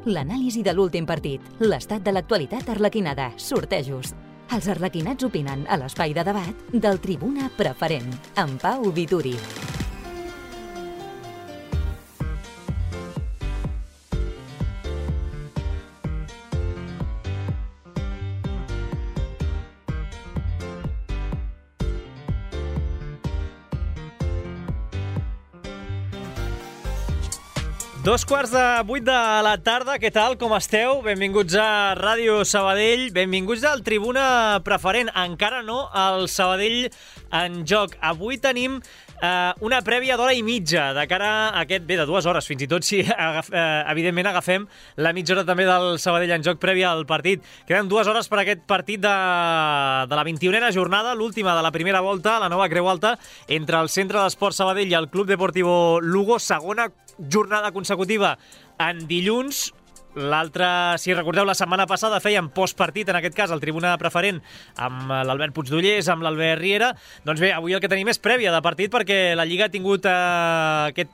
L'anàlisi de l'últim partit, l'estat de l'actualitat arlequinada, sortejos. Els arlequinats opinen a l'espai de debat del Tribuna Preferent, amb Pau Vituri. Dos quarts de 8 de la tarda, què tal, com esteu? Benvinguts a Ràdio Sabadell, benvinguts al Tribuna Preferent. Encara no al Sabadell en joc. Avui tenim una prèvia d'hora i mitja de cara a aquest, bé, de 2 hores, fins i tot si evidentment agafem la mitja hora també del Sabadell en joc prèvia al partit. Queden 2 hores per aquest partit de la 21a jornada, l'última de la primera volta, la nova Creu Alta, entre el Centre d'Esport Sabadell i el Club Deportivo Lugo, segona jornada consecutiva en dilluns. L'altra, si recordeu, la setmana passada fèiem postpartit, en aquest cas, al Tribuna Preferent, amb l'Albert Puigdollers, amb l'Albert Riera. Doncs bé, avui el que tenim és prèvia de partit, perquè la Lliga ha tingut aquest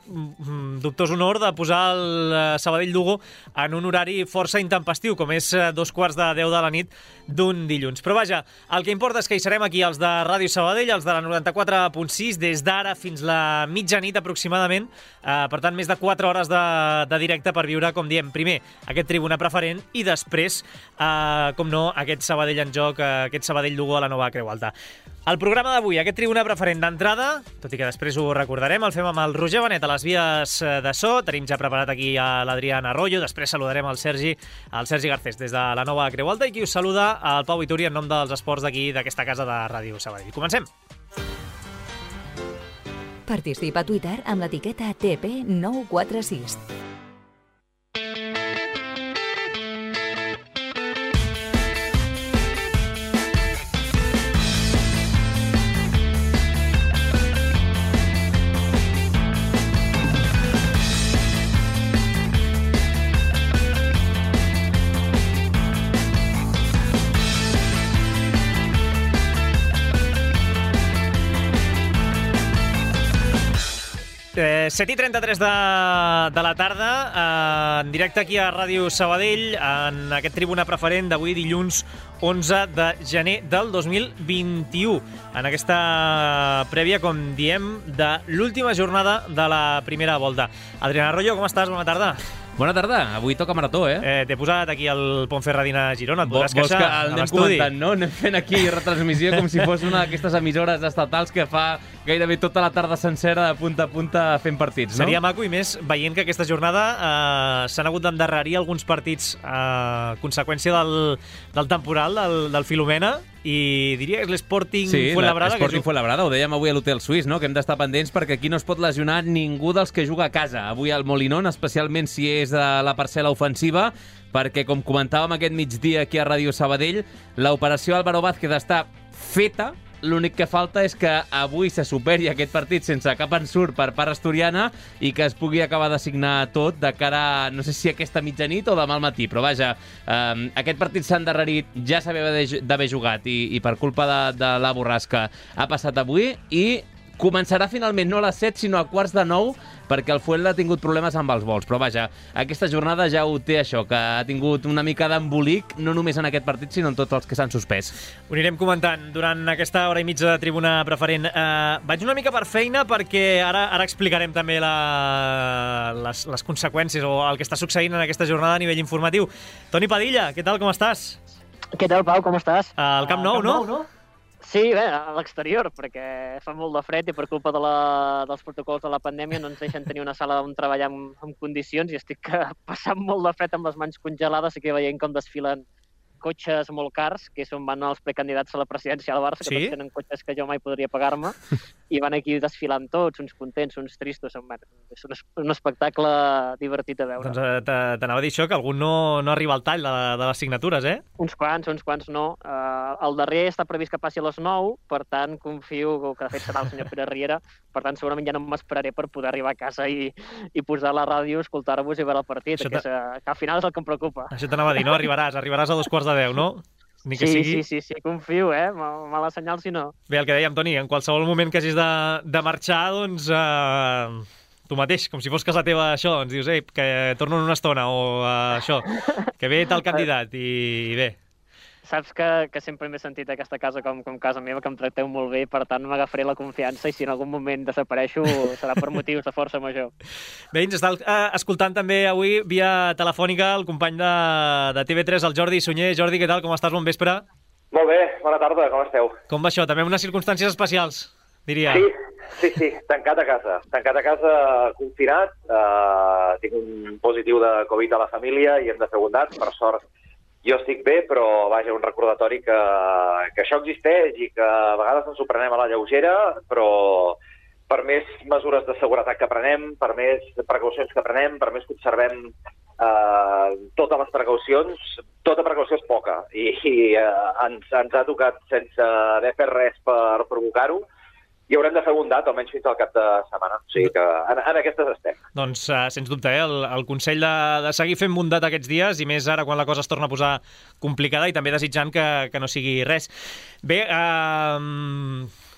dubtós honor de posar el Sabadell-Lugo en un horari força intempestiu, com és 9:45 de la nit d'un dilluns. Però vaja, el que importa és que hi serem aquí, els de Ràdio Sabadell, els de la 94.6, des d'ara fins la mitjanit aproximadament. Per tant, més de 4 hores de directe per viure, com diem, primer aquest Tribuna Preferent i després, com no, aquest Sabadell en joc, aquest Sabadell-Lugo a la nova Creu Alta. El programa d'avui, aquest Tribuna Preferent d'entrada, tot i que després ho recordarem, el fem amb el Roger Benet a les vies de so. Tenim ja preparat aquí a l'Adrián Arroyo, després saludarem el Sergi Garcés des de la nova Creu Alta, i qui us saluda, el Pau Vituri, en nom dels esports d'aquí, d'aquesta casa de Ràdio Sabadell. Comencem! Participa a Twitter amb l'etiqueta TP946. Set i 33 de la tarda, en directe aquí a Ràdio Sabadell, en aquest Tribuna Preferent d'avui, dilluns 11 de gener del 2021. En aquesta prèvia, com diem, de l'última jornada de la primera volta. Adrián Arroyo, com estàs? Bona tarda. Bona tarda, avui toca marató, T'he posat aquí el Ponferradina Girona, et podràs queixar a l'estudi. Vols que el anem comentant, no? Anem fent aquí retransmissió com si fos una d'aquestes emissores estatals que fa gairebé tota la tarda sencera de punta a punta fent partits, no? Seria maco, i més veient que aquesta jornada s'han hagut d'endarrerir alguns partits a conseqüència del temporal, del Filomena, i diria que és l'Sporting Fuenlabrada. Sí, l'Sporting Fuenlabrada, ho dèiem avui a l'Hotel Suís, no? Que hem d'estar pendents perquè aquí no es pot lesionar ningú dels que juga a casa. Avui al Molinón, especialment si és de la parcel·la ofensiva, perquè, com comentàvem aquest migdia aquí a Ràdio Sabadell, l'operació Álvaro Vázquez està feta. L'únic que falta és que avui se superi aquest partit sense cap ensurt per part asturiana i que es pugui acabar de signar tot de cara, no sé si aquesta mitjanit o demà al matí, però vaja, aquest partit s'ha endarrerit, ja s'havia d'haver jugat i per culpa de la borrasca ha passat avui, i començarà finalment no a les 7 sinó a 8:45, perquè el Fuenla ha tingut problemes amb els vols. Però vaja, aquesta jornada ja ho té això, que ha tingut una mica d'embolic, no només en aquest partit, sinó en tots els que s'han suspès. Ho anirem comentant durant aquesta hora i mitja de Tribuna Preferent. Vaig una mica per feina, perquè ara explicarem també les conseqüències o el que està succeint en aquesta jornada a nivell informatiu. Toni Padilla, què tal, com estàs? Què tal, Pau, com estàs? Al Camp Nou, no? Sí, bé, a l'exterior, perquè fa molt de fred i per culpa dels protocols de la pandèmia no ens deixen tenir una sala on treballar en condicions, i estic passant molt de fred amb les mans congelades, i que veient com desfilen cotxes molt cars, que són van els precandidats a la presidència del Barça, que tots tenen cotxes que jo mai podria pagar-me, i van aquí desfilant tots, uns contents, uns tristos. És un espectacle divertit a veure. Doncs t'anava a dir això, que algun no arriba al tall de les signatures, Uns quants no. El darrer està previst que passi a les 9, per tant confio que de fet serà el senyor Pere Riera, per tant segurament ja no m'esperaré per poder arribar a casa i posar la ràdio, escoltar-vos i veure el partit, que al final és el que em preocupa. Això t'anava a dir, no? Arribaràs a 2:45, no? Ni que sigui. Sí, confio, mala senyal si no. Bé, el que dèiem, Toni, en qualsevol moment que hagis de marxar, doncs tu mateix, com si fos casa teva això, ens dius, que torno en una estona, o això, que ve tal candidat, i bé. Saps que sempre m'he sentit aquesta casa com casa meva, que em tracteu molt bé, per tant m'agafaré la confiança i si en algun moment desapareixo serà per motius de força major. Bé, ens està escoltant també avui via telefònica el company de TV3, el Jordi Sunyer. Jordi, què tal? Com estàs? Bon vespre. Molt bé, bona tarda, com esteu? Com va això? També unes circumstàncies especials, diria. Sí, tancat a casa, confinat, tinc un positiu de Covid a la família i hem de fer bondat, per sort. Jo estic bé, però vaja, un recordatori que això existeix i que a vegades ens ho prenem a la lleugera, però per més mesures de seguretat que prenem, per més precaucions que prenem, per més que observem totes les precaucions, tota precaució és poca i ens ha tocat sense haver fet res per provocar-ho i haurem de fer bondat, almenys fins al cap de setmana. O sigui que en aquestes estem. Doncs, sens dubte, el consell de seguir fent bondat aquests dies, i més ara quan la cosa es torna a posar complicada, i també desitjant que no sigui res. Bé,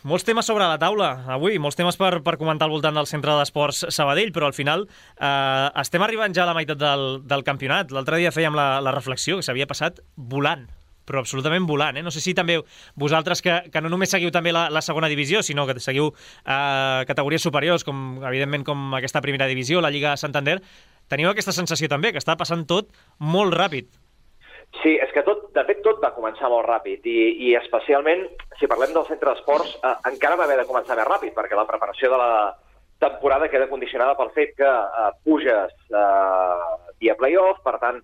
molts temes sobre la taula avui, molts temes per comentar al voltant del Centre d'Esports Sabadell, però al final estem arribant ja a la meitat del campionat. L'altre dia fèiem la reflexió que s'havia passat volant, però absolutament volant. No sé si també vosaltres, que no només seguiu també la segona divisió, sinó que seguiu categories superiors, com evidentment com aquesta primera divisió, la Lliga Santander, teniu aquesta sensació també, que està passant tot molt ràpid. Sí, és que de fet tot va començar molt ràpid i especialment, si parlem del centre d'esports, encara va haver de començar més ràpid, perquè la preparació de la temporada queda condicionada pel fet que puges via play-off, per tant,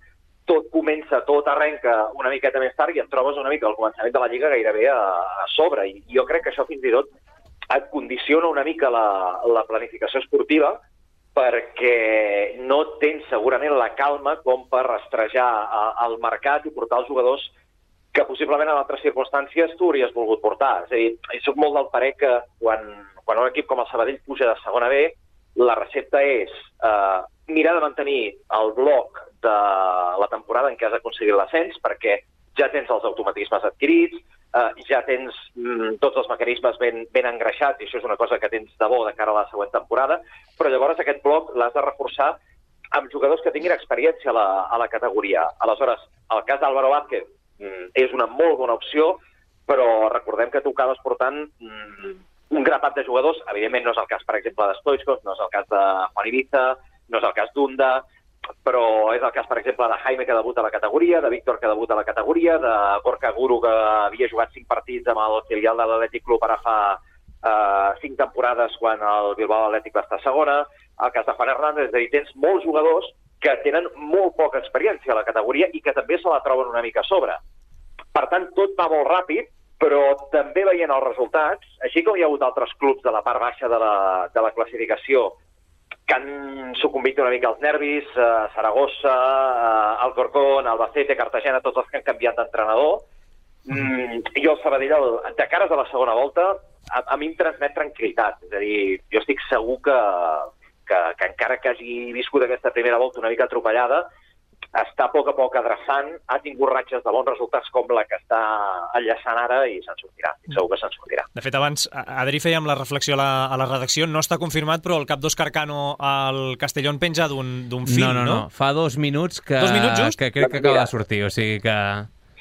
tot arrenca una miqueta més tard i et trobes una mica al començament de la Lliga gairebé a sobre. I jo crec que això fins i tot et condiciona una mica la planificació esportiva perquè no tens segurament la calma com per rastrejar el mercat i portar els jugadors que possiblement en altres circumstàncies tu hauries volgut portar. És a dir, jo soc molt del parer que quan un equip com el Sabadell puja de segona B, la recepta és mirar de mantenir el bloc de la temporada en què has aconseguit l'ascens, perquè ja tens els automatismes adquirits, ja tens tots els mecanismes ben engreixats, i això és una cosa que tens de bo de cara a la següent temporada, però llavors aquest bloc l'has de reforçar amb jugadors que tinguin experiència a la categoria. Aleshores, el cas d'Álvaro Vázquez és una molt bona opció, però recordem que tu acabes portant un grapat de jugadors. Evidentment no és el cas, per exemple, de Stoichkov, no és el cas de Juan Ibiza, no és el cas d'Unda, però és el cas, per exemple, de Jaime, que debuta a la categoria, de Víctor, que debuta a la categoria, de Gorka Guru, que havia jugat 5 partits amb el filial de l'Atlètic Club ara fa 5 temporades quan el Bilbao Atlètic va estar a segona, el cas de Juan Hernández. És a dir, tens molts jugadors que tenen molt poca experiència a la categoria i que també se la troben una mica a sobre. Per tant, tot va molt ràpid, però també veient els resultats, així com hi ha hagut altres clubs de la part baixa de la classificació que han sucumbit una mica als nervis, Saragossa, Alcorcón, Albacete, Cartagena, tots els que han canviat d'entrenador. Jo el Sabadell, de cares a la segona volta, a mi em transmet tranquil·litat. És a dir, jo estic segur que encara que hagi viscut aquesta primera volta una mica atropellada, està a poc adreçant, ha tingut ratxes de bons resultats com la que està enllaçant ara i se'n sortirà, segur que se'n sortirà. De fet, abans, Adri, fèiem la reflexió a la redacció, no està confirmat, però el cap d'Òscar Cano al Castellón penja d'un fil, no? No, fa 2 minuts que... 2 minuts just? Que crec que acaba de sortir, o sigui que...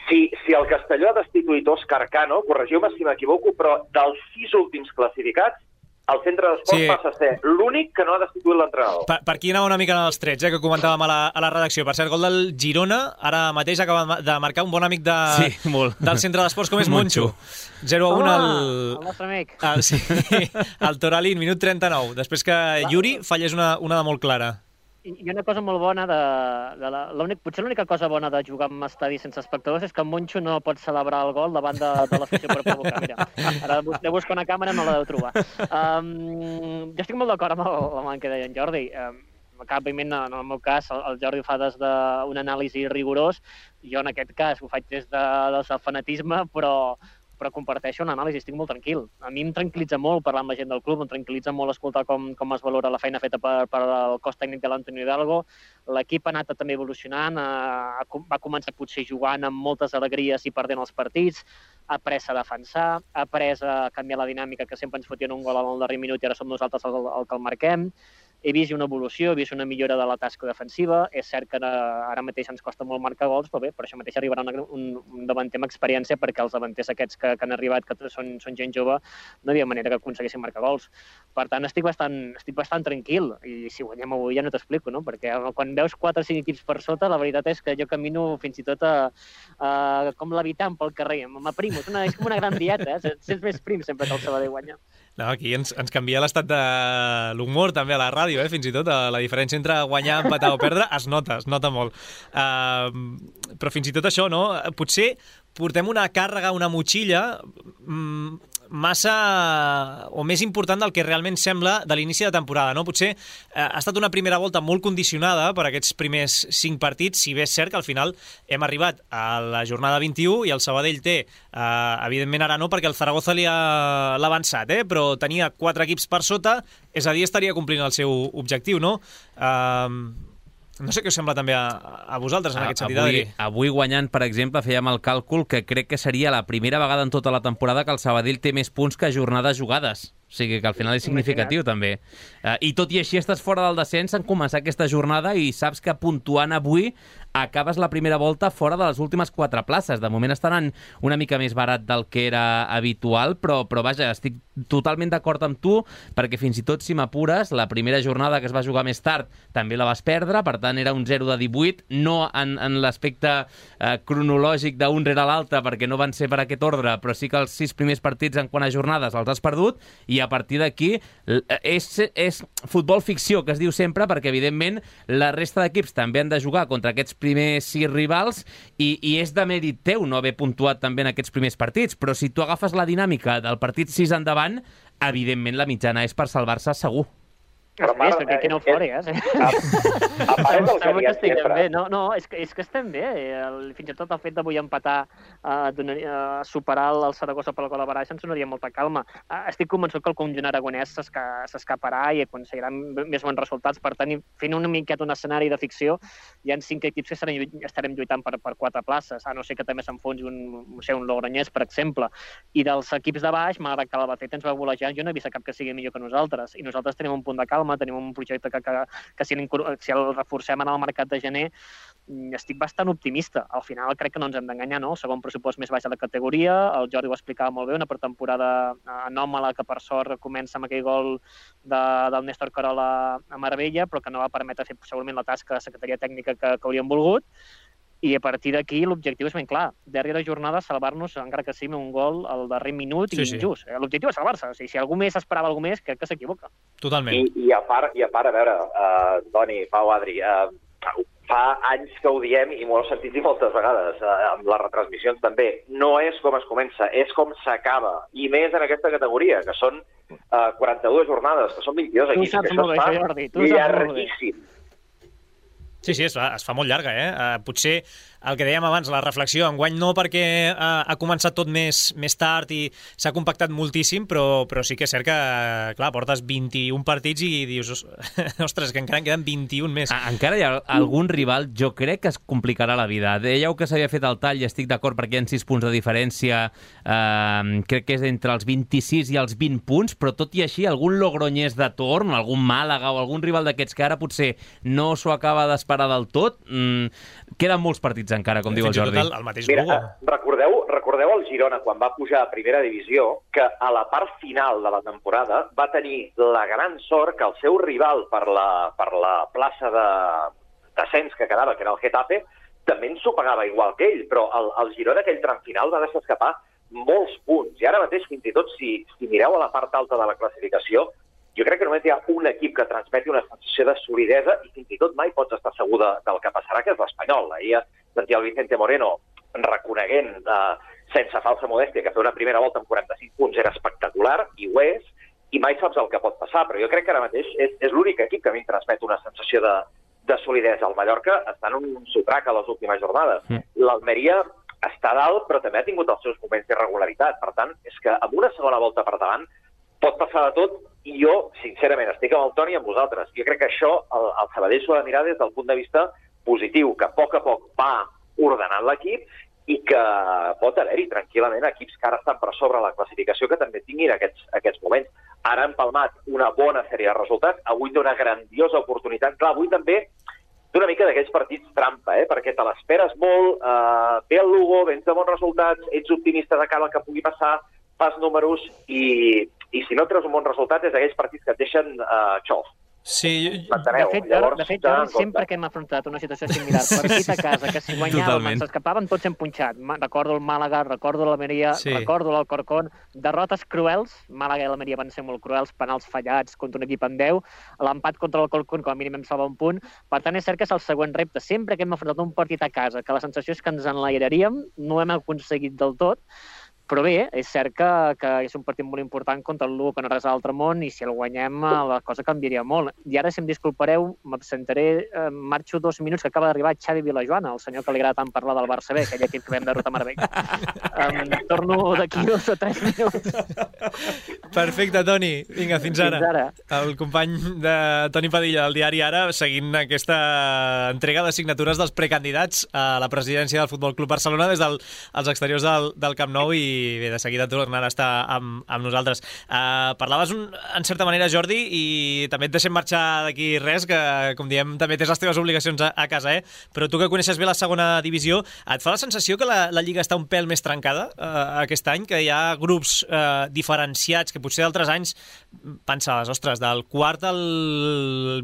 Si el Castelló ha destituït Òscar Cano, corregiu-me si m'equivoco, però dels 6 últims classificats, el centre d'esports passa a ser l'únic que no ha destituït l'entrenador. Per aquí anava una mica els trets, que comentàvem a la redacció. Per cert, gol del Girona, ara mateix acaba de marcar un bon amic del centre d'esports, com és Moncho. 0-1 el nostre amic. Sí, el Toralín, minut 39. Després que Yuri fallés una de molt clara. I una cosa molt bona potser l'única cosa bona de jugar en estadi sense espectadors és que en Moncho no pot celebrar el gol davant de l'afició per provocar. Mira, ara de buscar una càmera no la deu trobar. Jo estic molt d'acord amb el que deia en Jordi. Òbviament, en el meu cas, el Jordi ho fa des d'un anàlisi rigorós. Jo, en aquest cas, ho faig des del fanatisme, però comparteixo una anàlisi, estic molt tranquil. A mi em tranquil·litza molt parlar amb la gent del club, em tranquil·litza molt escoltar com es valora la feina feta per el cos tècnic de l'Antonio Hidalgo. L'equip ha anat també evolucionant, va començar potser jugant amb moltes alegries i perdent els partits, ha après a defensar, ha après a canviar la dinàmica, que sempre ens fotien un gol al darrer minut i ara som nosaltres el que el marquem. he vist una evolució, he vist una millora de la tasca defensiva. És cert que ara mateix ens costa molt marcar gols, però bé, per això mateix arribarà un davanter amb experiència, perquè els davanters aquests que han arribat, que són gent jove, no hi havia manera que aconseguissin marcar gols. Per tant, estic bastant tranquil, i si guanyem avui ja no t'explico, no? Perquè quan veus 4 o 5 equips per sota, la veritat és que jo camino fins i tot com l'habitant pel carrer, m'aprimo, és com una gran dieta, sents més prim sempre que el Sabadell guanya. No, aquí ens canvia l'estat de l'humor també a la ràdio, fins i tot la diferència entre guanyar, empatar o perdre es nota molt. Però fins i tot això, no? Potser portem una càrrega, una motxilla massa o més important del que realment sembla de l'inici de temporada, no? Potser ha estat una primera volta molt condicionada per aquests primers 5 partits, si bé és cert que al final hem arribat a la jornada 21 i el Sabadell té, evidentment ara no, perquè el Zaragoza l'ha avançat, però tenia 4 equips per sota, és a dir, estaria complint el seu objectiu, no? No sé què us sembla també a vosaltres en aquest sentit, Adri. Avui guanyant, per exemple, fèiem el càlcul que crec que seria la primera vegada en tota la temporada que el Sabadell té més punts que jornades jugades. O sigui que al final és significatiu, també. I tot i així estàs fora del descens en començar aquesta jornada i saps que puntuant avui acabes la primera volta fora de les últimes 4 places. De moment estaran una mica més barat del que era habitual, però vaja, estic totalment d'acord amb tu, perquè fins i tot si m'apures, la primera jornada que es va jugar més tard també la vas perdre, per tant era un 0 de 18, no en l'aspecte cronològic d'un rere l'altre, perquè no van ser per aquest ordre, però sí que els 6 primers partits en quant a jornades els has perdut, i a partir d'aquí és futbol ficció, que es diu sempre, perquè evidentment la resta d'equips també han de jugar contra aquests primers 6 rivals i és de mèrit teu no haver puntuat també en aquests primers partits, però si tu agafes la dinàmica del partit 6 endavant, evidentment la mitjana és per salvar-se segur. Però perquè aquí no ho fori, A part del que diem sempre. No, és que estem bé. Fins i tot el fet d'avui empatar, superar el Saragossa per la col·laboració ens donaria molta calma. Estic convençut que el conjunt aragonès s'escaparà i aconseguirà més bons resultats. Per tant, fent una miqueta un escenari de ficció, hi ha 5 equips que estarem lluitant per 4 places, a no ser que també s'enfonsi un Logroñés, per exemple. I dels equips de baix, malgrat que l'Albacete ens va volejar, jo no he vist cap que sigui millor que nosaltres. I nosaltres tenim un punt de calma, tenim un projecte que si el reforcem en el mercat de gener, estic bastant optimista. Al final crec que no ens hem d'enganyar, no? El segon pressupost més baix de la categoria, el Jordi ho explicava molt bé, una pretemporada anòmala que per sort comença amb aquell gol del Néstor Carola a Marbella, però que no va permetre fer segurament la tasca de secretaria tècnica que hauríem volgut. I a partir d'aquí l'objectiu és ben clar. Darrera jornada salvar-nos, encara que sigui un gol al darrer minut i injust. L'objectiu és salvar-se. O sigui, si algú més esperava alguna més, crec que s'equivoca. Totalment. I a part, a veure, Toni, Pau, Adri, fa anys que ho diem i m'ho heu sentit dir moltes vegades, amb les retransmissions també. No és com es comença, és com s'acaba. I més en aquesta categoria, que són 42 jornades, que són 22 equips. Tu saps molt bé, Jordi. Tu saps molt bé. Llarguíssim. Sí, es fa molt llarga, Potser el que dèiem abans, la reflexió, enguany no perquè ha començat tot més tard i s'ha compactat moltíssim, però sí que és cert que, clar, portes 21 partits i dius, ostres, que encara en queden 21 més. Encara hi ha algun rival, jo crec que es complicarà la vida. Dèieu que s'havia fet el tall i estic d'acord perquè hi ha 6 punts de diferència, crec que és entre els 26 i els 20 punts, però tot i així, algun Logroñés de torn, algun Màlaga o algun rival d'aquests que ara potser no s'ho acaba d'esperar del tot, queden molts partits encara, com diu el Jordi. El mateix Lugo. Recordeu el Girona, quan va pujar a primera divisió, que a la part final de la temporada va tenir la gran sort que el seu rival per la plaça de descens que quedava, que era el Getafe, també ens ho pagava igual que ell, però el Girona aquell tram final va deixar escapar molts punts. I ara mateix, fins i tot, si mireu a la part alta de la classificació, jo crec que només hi ha un equip que transmeti una sensació de solidesa i fins i tot mai pots estar segur del que passarà, que és l'Espanyol. Ahir sentia el Vicente Moreno reconeguent, sense falsa modèstia, que fer una primera volta amb 45 punts era espectacular, i ho és, i mai saps el que pot passar, però jo crec que ara mateix és l'únic equip que a mi em transmet una sensació de solidesa. El Mallorca està en un sotrac a les últimes jornades. L'Almeria està dalt, però també ha tingut els seus moments d'irregularitat. Per tant, és que amb una segona volta per davant pot passar de tot, i jo, sincerament, estic amb el Toni i amb vosaltres. Jo crec que això el Sabadell s'ho ha de mirar des del punt de vista positiu, que a poc va ordenant l'equip i que pot haver-hi tranquil·lament equips que ara estan per sobre la classificació que també tinguin aquests moments. Ara han palmat una bona sèrie de resultats, avui té una grandiosa oportunitat. Clar, avui també té una mica d'aquells partits trampa, perquè te l'esperes molt, ve el Lugo, vens de bons resultats, ets optimista de cara al que pugui passar, fas números i si no treus un bon resultat és aquells partits que et deixen xof. Sí, de fet, Jordi, sempre que hem afrontat una situació similar, partit a casa, que si guanyàvem, ens escapàvem, tots hem punxat. Recordo el Màlaga, recordo l'Almeria, recordo l'Alcorcón. Derrotes cruels, Màlaga i l'Almeria van ser molt cruels, penals fallats contra un equip en 10, l'empat contra l'Alcorcón, com a mínim em salva un punt. Per tant, és cert que és el següent repte. Sempre que hem afrontat un partit a casa, que la sensació és que ens enlairaríem, no hem aconseguit del tot, però bé, és cert que és un partit molt important contra el Lugo, que no res a l'altre món, i si el guanyem la cosa canviaria molt. I ara, si em disculpareu, m'absentaré, marxo 2 minuts, que acaba d'arribar Xavi Vilajoana, el senyor que li agrada tant parlar del Barça B, aquell equip que vam derrotar a Marbella. Torno d'aquí 2 o 3 minuts. Perfecte, Toni. Vinga, fins ara. El company de Toni Padilla, del diari Ara, seguint aquesta entrega de signatures dels precandidats a la presidència del Futbol Club Barcelona des dels exteriors del Camp Nou i bé, de seguida tornarà a estar amb nosaltres. Parlaves en certa manera, Jordi, i també et deixem marxar d'aquí res, que com diem també tens les teves obligacions a casa, però tu que coneixes bé la segona divisió, et fa la sensació que la Lliga està un pèl més trencada aquest any, que hi ha grups diferenciats que potser d'altres anys pensaves, ostres, del quart al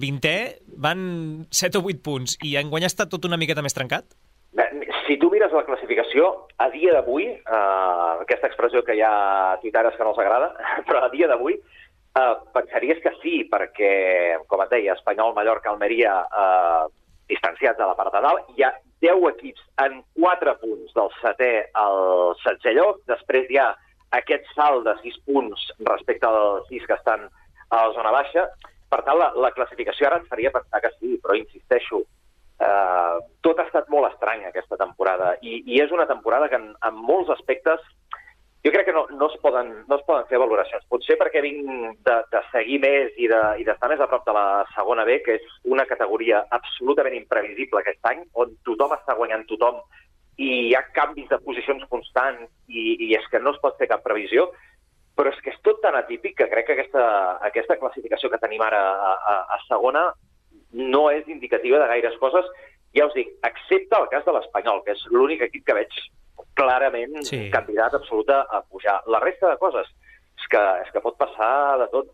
20è van 7 o 8 punts i enguany està tot una miqueta més trencat? Si tu mires la classificació, a dia d'avui, aquesta expressió que hi ha tuitaires que no els agrada, però a dia d'avui pensaries que sí, perquè, com et deia, Espanyol, Mallorca, Almeria, distanciats a la part de dalt, hi ha 10 equips en 4 punts del 7è al 16è lloc, després hi ha aquest salt de 6 punts respecte als 6 que estan a la zona baixa. Per tant, la classificació ara ens faria pensar que sí, però insisteixo, tot ha estat molt estrany aquesta temporada i és una temporada que en molts aspectes jo crec que no es poden fer valoracions. Potser perquè vinc de seguir més i d'estar més a prop de la segona B, que és una categoria absolutament imprevisible aquest any, on tothom està guanyant tothom i hi ha canvis de posicions constants i és que no es pot fer cap previsió, però és que és tot tan atípic que crec que aquesta classificació que tenim ara a segona no és indicativa de gaires coses, ja us dic, excepte el cas de l'Espanyol, que és l'únic equip que veig clarament candidat absolut a pujar. La resta de coses és que pot passar de tot.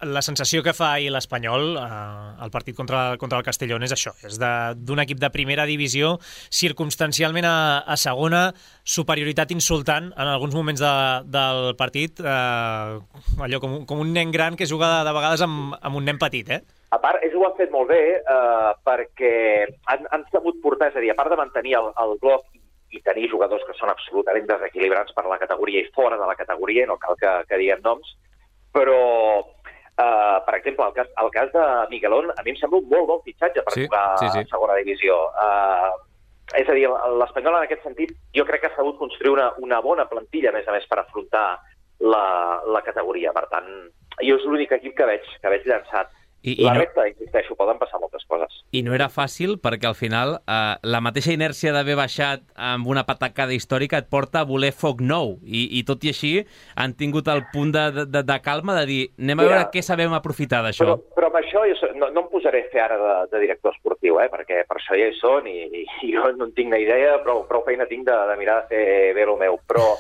La sensació que fa ahir l'Espanyol, el partit contra el Castellón, és això, és d'un equip de primera divisió, circumstancialment a segona, superioritat insultant en alguns moments del partit, allò com un nen gran que juga de vegades amb un nen petit, A part, ells ho han fet molt bé perquè han sabut portar, és a dir, a part de mantenir el bloc i tenir jugadors que són absolutament desequilibrants per la categoria i fora de la categoria, no cal que diguem noms, però, per exemple, el cas de Miguelón, a mi em sembla un molt bon fitxatge per jugar a segona divisió. És a dir, l'Espanyol en aquest sentit jo crec que ha sabut construir una bona plantilla, a més per afrontar la categoria. Per tant, jo és l'únic equip que veig llançat. La resta, insisteixo, poden passar moltes coses. I no era fàcil perquè al final la mateixa inèrcia d'haver baixat amb una patacada històrica et porta a voler foc nou i tot i així han tingut el punt de calma de dir anem a veure què sabem aprofitar d'això. Però amb això no em posaré a fer ara de director esportiu, perquè per això ja hi són i jo no en tinc ni idea, prou feina tinc de mirar de fer bé el meu, però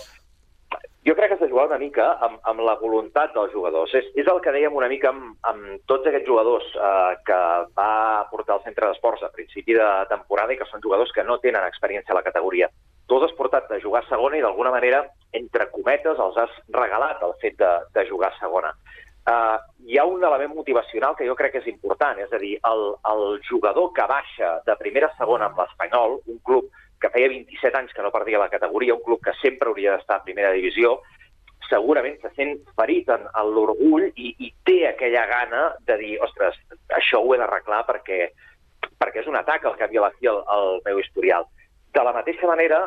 jo crec que has de jugar una mica amb la voluntat dels jugadors. És el que dèiem una mica amb tots aquests jugadors que va portar el centre d'esports a principi de temporada i que són jugadors que no tenen experiència a la categoria. Tu els has portat a jugar a segona i d'alguna manera, entre cometes, els has regalat el fet de jugar a segona. Hi ha un element motivacional que jo crec que és important, és a dir, el jugador que baixa de primera a segona amb l'Espanyol, un club que feia 27 anys que no perdia la categoria, un club que sempre hauria d'estar a primera divisió, segurament se sent ferit en l'orgull i té aquella gana de dir, ostres, això ho he d'arreglar perquè és un atac al cap i a la fi al meu historial. De la mateixa manera,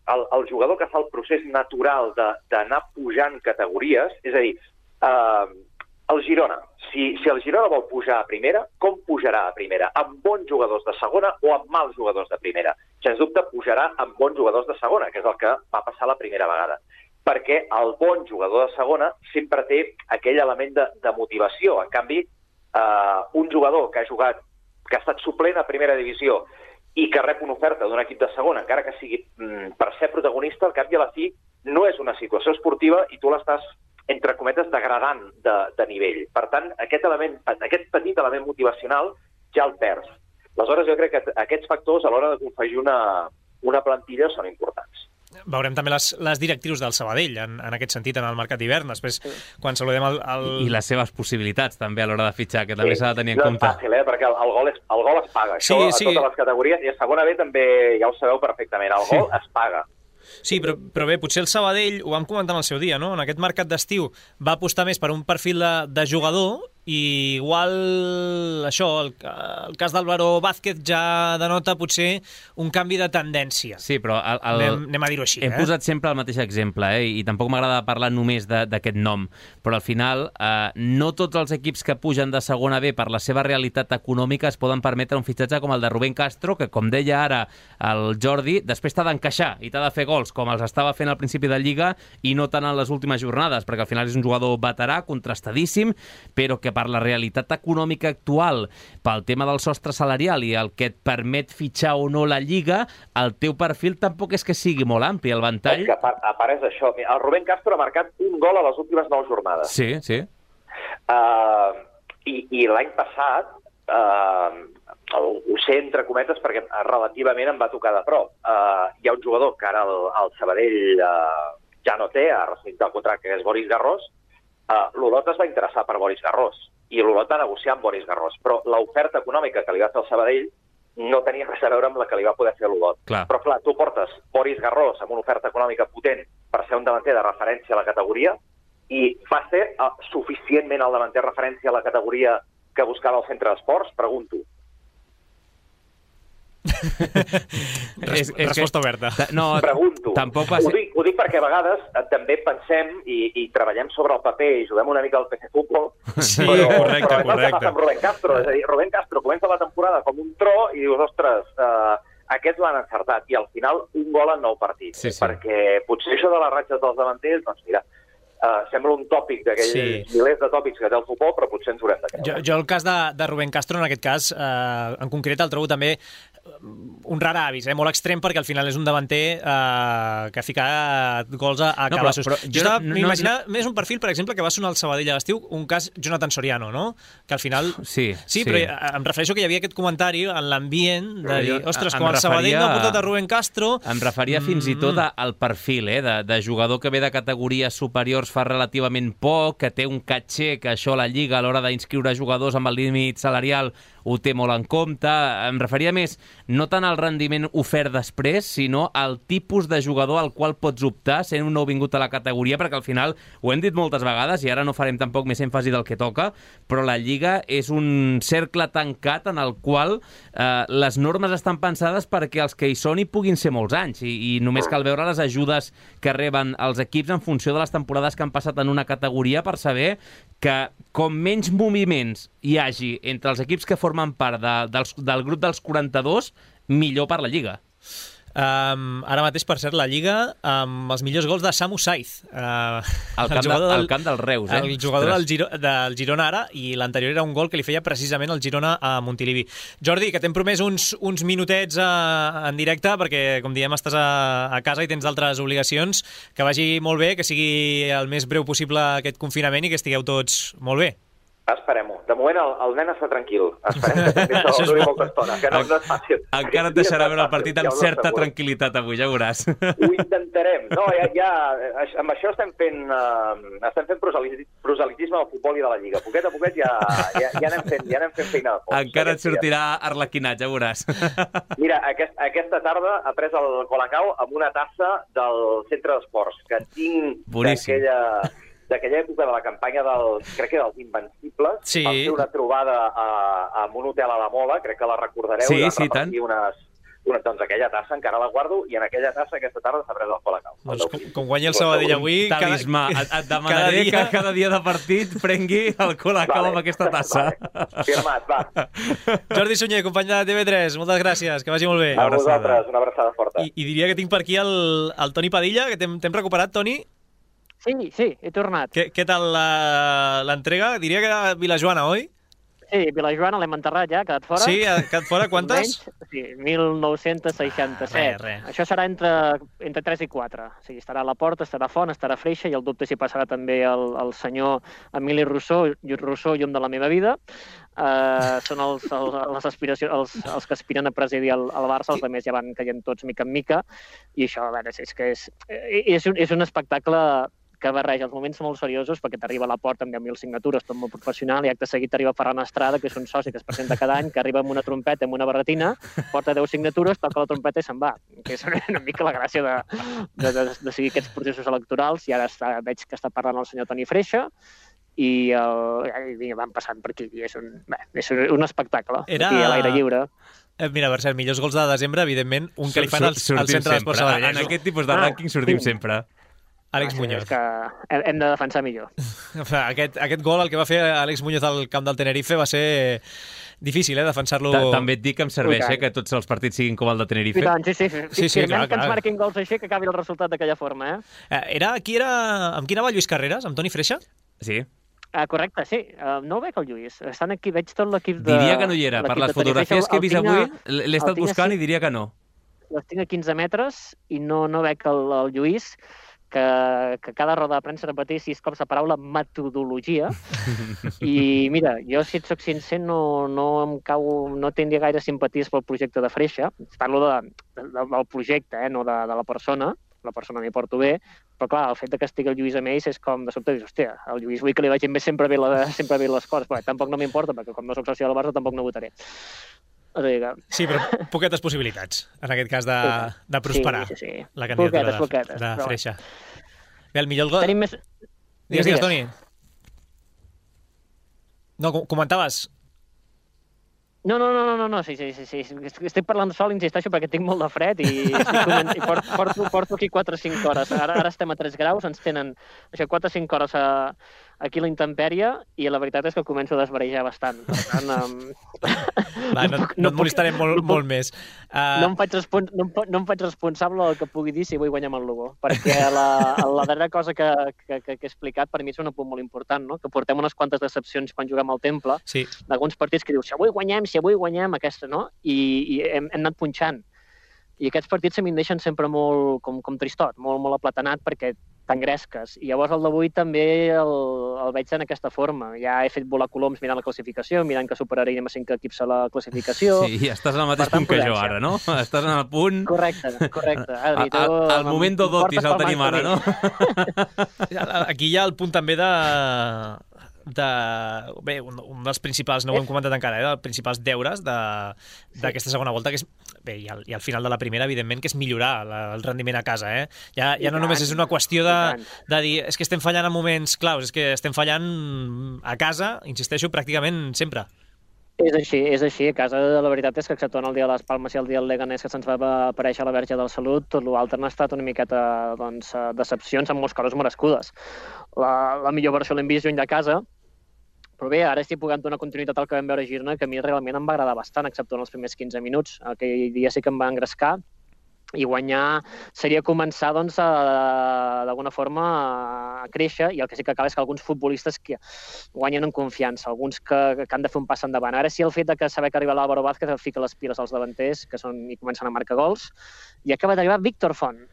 el jugador que fa el procés natural d'anar pujant categories, és a dir, El Girona. Si el Girona vol pujar a primera, com pujarà a primera? Amb bons jugadors de segona o amb mals jugadors de primera? Sens dubte pujarà amb bons jugadors de segona, que és el que va passar la primera vegada. Perquè el bon jugador de segona sempre té aquell element de motivació. En canvi, un jugador que ha estat suplent a primera divisió i que rep una oferta d'un equip de segona, encara que sigui per ser protagonista, al cap i a la fi no és una situació esportiva i tu l'estàs, entre cometes, degradant de nivell. Per tant, aquest petit element motivacional ja el perds. Aleshores, jo crec que aquests factors a l'hora de confegir una plantilla són importants. Veurem també les directrius del Sabadell en aquest sentit, en el mercat d'hivern. Després, quan saludem I les seves possibilitats també a l'hora de fitxar, que també s'ha de tenir en compte. No és fàcil, perquè el gol es paga. Això a totes les categories, i a segona B també ja ho sabeu perfectament, el gol es paga. Sí, però bé, potser el Sabadell, ho vam comentar en el seu dia, no? En aquest mercat d'estiu va apostar més per un perfil de jugador i igual això, el cas d'Álvaro Vázquez ja denota potser un canvi de tendència. Sí, però anem a dir-ho així. Hem posat sempre el mateix exemple, i tampoc m'agrada parlar només d'aquest nom, però al final no tots els equips que pugen de segona B per la seva realitat econòmica es poden permetre un fitxatge com el de Rubén Castro, que, com deia ara el Jordi, després t'ha d'encaixar i t'ha de fer gols, com els estava fent al principi de Lliga i no tant en les últimes jornades, perquè al final és un jugador veterà, contrastadíssim, però que per la realitat econòmica actual, pel tema del sostre salarial i el que et permet fitxar o no la Lliga, el teu perfil tampoc és que sigui molt ampli, el ventall... És que a part és això. El Rubén Castro ha marcat un gol a les últimes 9 jornades. Sí, sí. I l'any passat, ho sé entre cometes perquè relativament em va tocar de prop. Hi ha un jugador que ara el Sabadell ja no té, ha rescindit el contracte, que és Boris Garros. L'Olot es va interessar per Boris Garros i l'Olot va negociar amb Boris Garros, però l'oferta econòmica que li va fer el Sabadell no tenia res a veure amb la que li va poder fer l'Olot. Però clar, tu portes Boris Garros amb una oferta econòmica potent per ser un davanter de referència a la categoria i va ser suficientment el davanter referència a la categoria que buscava el centre d'esports? Pregunto. Resposta oberta. No, pregunto. Tampoc va ser... Ho dic perquè a vegades també pensem i treballem sobre el paper i juguem una mica al PC Futbol, sí, però correcte. és el que passa amb Rubén Castro. És a dir, Rubén Castro comença la temporada com un tro i dius, ostres, aquests l'han encertat, i al final un gol en 9 partits. Sí. Perquè potser això de les ratxes dels davanters, doncs mira, sembla un tòpic d'aquells milers de tòpics que té el futbol, però potser ens haurem de creure. Jo el cas de Rubén Castro, en aquest cas, en concret, el trobo també un rar avis, molt extrem, perquè al final és un davanter que ha ficat gols a cabassos. Jo m'imagina més un perfil, per exemple, que va sonar al Sabadell a l'estiu, un cas Jonathan Soriano, no? Que al final... Sí, però em refereixo que hi havia aquest comentari en l'ambient de dir, ostres, com el Sabadell no ha portat a Rubén Castro... Em referia fins i tot al perfil, de jugador que ve de categories superiors fa relativament poc, que té un caché, que això la Lliga a l'hora d'inscriure jugadors amb el límit salarial ho té molt en compte. Em referia més no tant al rendiment ofert després, sinó al tipus de jugador al qual pots optar sent un nouvingut a la categoria, perquè al final, ho hem dit moltes vegades, i ara no farem tampoc més èmfasi del que toca, però la Lliga és un cercle tancat en el qual les normes estan pensades perquè els que hi són hi puguin ser molts anys, i només cal veure les ajudes que reben els equips en funció de les temporades que han passat en una categoria per saber que com menys moviments hi hagi entre els equips que formen part del grup dels 42, millor per la Lliga. Ara mateix, per cert, la Lliga amb els millors gols de Samu Saiz. Al camp del Reus, El jugador del Girona ara, i l'anterior era un gol que li feia precisament el Girona a Montilivi. Jordi, que t'hem promès uns minutets en directe, perquè, com diem, estàs a casa i tens d'altres obligacions. Que vagi molt bé, que sigui el més breu possible aquest confinament i que estigueu tots molt bé. Esperem-ho. De moment el nen està tranquil. Esperem que també això duri molta estona, que no és fàcil. Encara et deixarà veure el partit amb certa tranquil·litat avui, ja veuràs. Ho intentarem. No, ja amb això estem fent proselitisme del futbol i de la Lliga. Poquet a poquet ja anem fent feina de fons. Encara et sortirà arlequinat, ja veuràs. Mira, aquesta tarda ha pres el Colacao amb una tassa del centre d'esports, que tinc d'aquella època de la campanya crec que dels Invencibles. Vam fer una trobada en un hotel a la Mola, crec que la recordareu, sí, tant. Doncs aquella tassa encara la guardo i en aquella tassa aquesta tarda s'ha pres el Colacao. Doncs com guanya el Sabadell avui... Talismà. Et demanaré que cada dia de partit prengui el Colacao amb aquesta tassa. Vale. Firmat, va. Jordi Sunyer, company de TV3, moltes gràcies, que vagi molt bé. A vosaltres, una abraçada forta. I diria que tinc per aquí el Toni Padilla, que t'hem recuperat, Toni. Sí, he tornat. Què tal l'entrega? Diria que era Vilajoana, oi? Sí, Vilajoana l'hem enterrat ja, ha quedat fora. Sí, ha quedat fora. Quantes? Sí, 1967. Res. Això serà entre 3 i 4. O sigui, estarà a la Porta, estarà a Font, estarà a Freixa, i el dubte si passarà també el senyor Emili Rousseau, llum de la meva vida. Són les aspiracions, els que aspiren a presidir el Barça, els altres ja van caient tots mica en mica, i això, a veure, és un espectacle que barreja els moments molt seriosos, perquè t'arriba a la Porta amb 10.000 signatures, tot molt professional, i acte seguit t'arriba Ferran Estrada, que és un soci que es presenta cada any, que arriba amb una trompeta, amb una barretina, porta 10 signatures, toca la trompeta i se'n va. Que és una mica la gràcia de seguir aquests processos electorals, i ara veig que està parlant el senyor Toni Freixa, i van passant per aquí. És un espectacle, aquí a l'aire lliure. Mira, Marcel, millors gols de desembre, evidentment, un que li fan al centre d'Esports Sabadell. En aquest tipus de rànquing sortim sempre. Àlex Muñoz. És que hem de defensar millor. Aquest gol, el que va fer Àlex Muñoz al camp del Tenerife, va ser difícil, defensar-lo. També et dic que em serveix, que tots els partits siguin com el de Tenerife. I tant, sí. Firmem que ens marquin gols així, que acabi el resultat d'aquella forma, Amb qui anava Lluís Carreras? Amb Toni Freixa? Sí. Correcte, sí. No ho veig el Lluís. Estan aquí, veig tot l'equip de... Diria que no hi era. Per les fotografies que he vist avui, l'he estat buscant i diria que no. Les tinc a 15 metres i no veig el Lluís, que cada roda de premsa repeteix 6 cops la paraula metodologia. I mira, jo, si et soc sincer, no tindria gaire simpaties pel projecte de Freixa. Parlo del projecte, no de la persona. La persona m'hi porto bé, però clar, el fet que estigui el Lluís amb ells és com de sobte, dius, hòstia, el Lluís vull que li vagin sempre bé les coses, però tampoc no m'importa, perquè com no soc soci del Barça tampoc no votaré. Sí, però poquetes possibilitats, en aquest cas, de prosperar la candidatura de Freixa. Bé, el millor gol... Digues, Toni. No, comentaves... No, sí. Estic parlant sol, insisteixo, perquè tinc molt de fred i porto aquí 4 o 5 hores. Ara estem a 3 graus, ens tenen 4 o 5 hores aquí a la intempèrie i la veritat és que començo a desvarejar bastant. Per tant, no et molestarem molt més. No em faig responsable del que pugui dir si vull guanyar amb el Lugo, perquè la darrera cosa que he explicat per mi és un apunt molt important, no? Que portem unes quantes decepcions quan juguem al Temple, d'alguns partits que dius, si avui guanyem aquesta, no? I hem anat punxant. I aquests partits a mi em deixen sempre molt com tristot, molt aplatanat, perquè t'engresques. I llavors el d'avui també el veig en aquesta forma. Ja he fet volar coloms mirant la classificació, mirant que superaríem a 5 equips a la classificació. Sí, estàs en el mateix punt que jo ara, no? Estàs en el punt... Correcte. Adri, el moment d'Odotis el tenim ara, no? Aquí hi ha el punt també bé, un dels principals, no ho hem comentat encara, dels principals deures d'aquesta segona volta, que és, bé, i al final de la primera, evidentment, que és millorar el rendiment a casa, Ja no només és una qüestió de dir, és que estem fallant en moments claus, és que estem fallant a casa, insisteixo, pràcticament sempre. És així. A casa, la veritat és que exceptuant el dia de les Palmes i el dia del Leganés, que se'ns va aparèixer la Verge del Salut, tot l'altre han estat una miqueta decepcions amb molts coses merescudes. La millor versió l'hem vist lluny de casa, però bé, ara estic pugant donar continuïtat al que vam veure a Girona, que a mi realment em va agradar bastant, exceptuant els primers 15 minuts. Aquell dia sí que em va engrescar, i guanyar seria començar, d'alguna forma, a créixer, i el que sí que acaba és que alguns futbolistes que guanyen en confiança, alguns que han de fer un pas endavant. Ara sí, el fet de saber que arriba l'Álvaro Vázquez fica les piles als davanters, que comencen a marcar gols, i acaba d'arribar Víctor Font.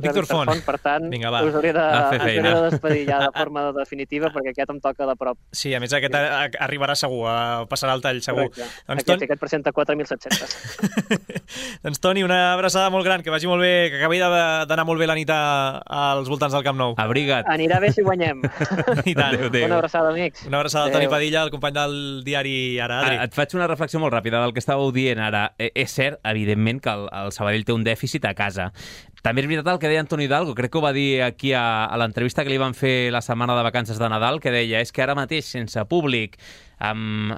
Víctor Font. Per tant, us hauria de despedir ja de forma definitiva, perquè aquest em toca de prop. Sí, a més aquest arribarà segur, passarà el tall segur. Aquest presenta 4.700. Doncs Toni, una abraçada molt gran, que vagi molt bé, que acabi d'anar molt bé la nit als voltants del Camp Nou. Abriga't. Anirà bé si guanyem. I tant. Adéu. Una abraçada, amics. Una abraçada al Toni Padilla, el company del diari Ara. Et faig una reflexió molt ràpida del que estàveu dient ara. És cert, evidentment, que el Sabadell té un dèficit a casa. També és veritat el que deia Antonio Hidalgo, crec que ho va dir aquí a l'entrevista que li van fer la setmana de vacances de Nadal, que deia, és que ara mateix, sense públic, amb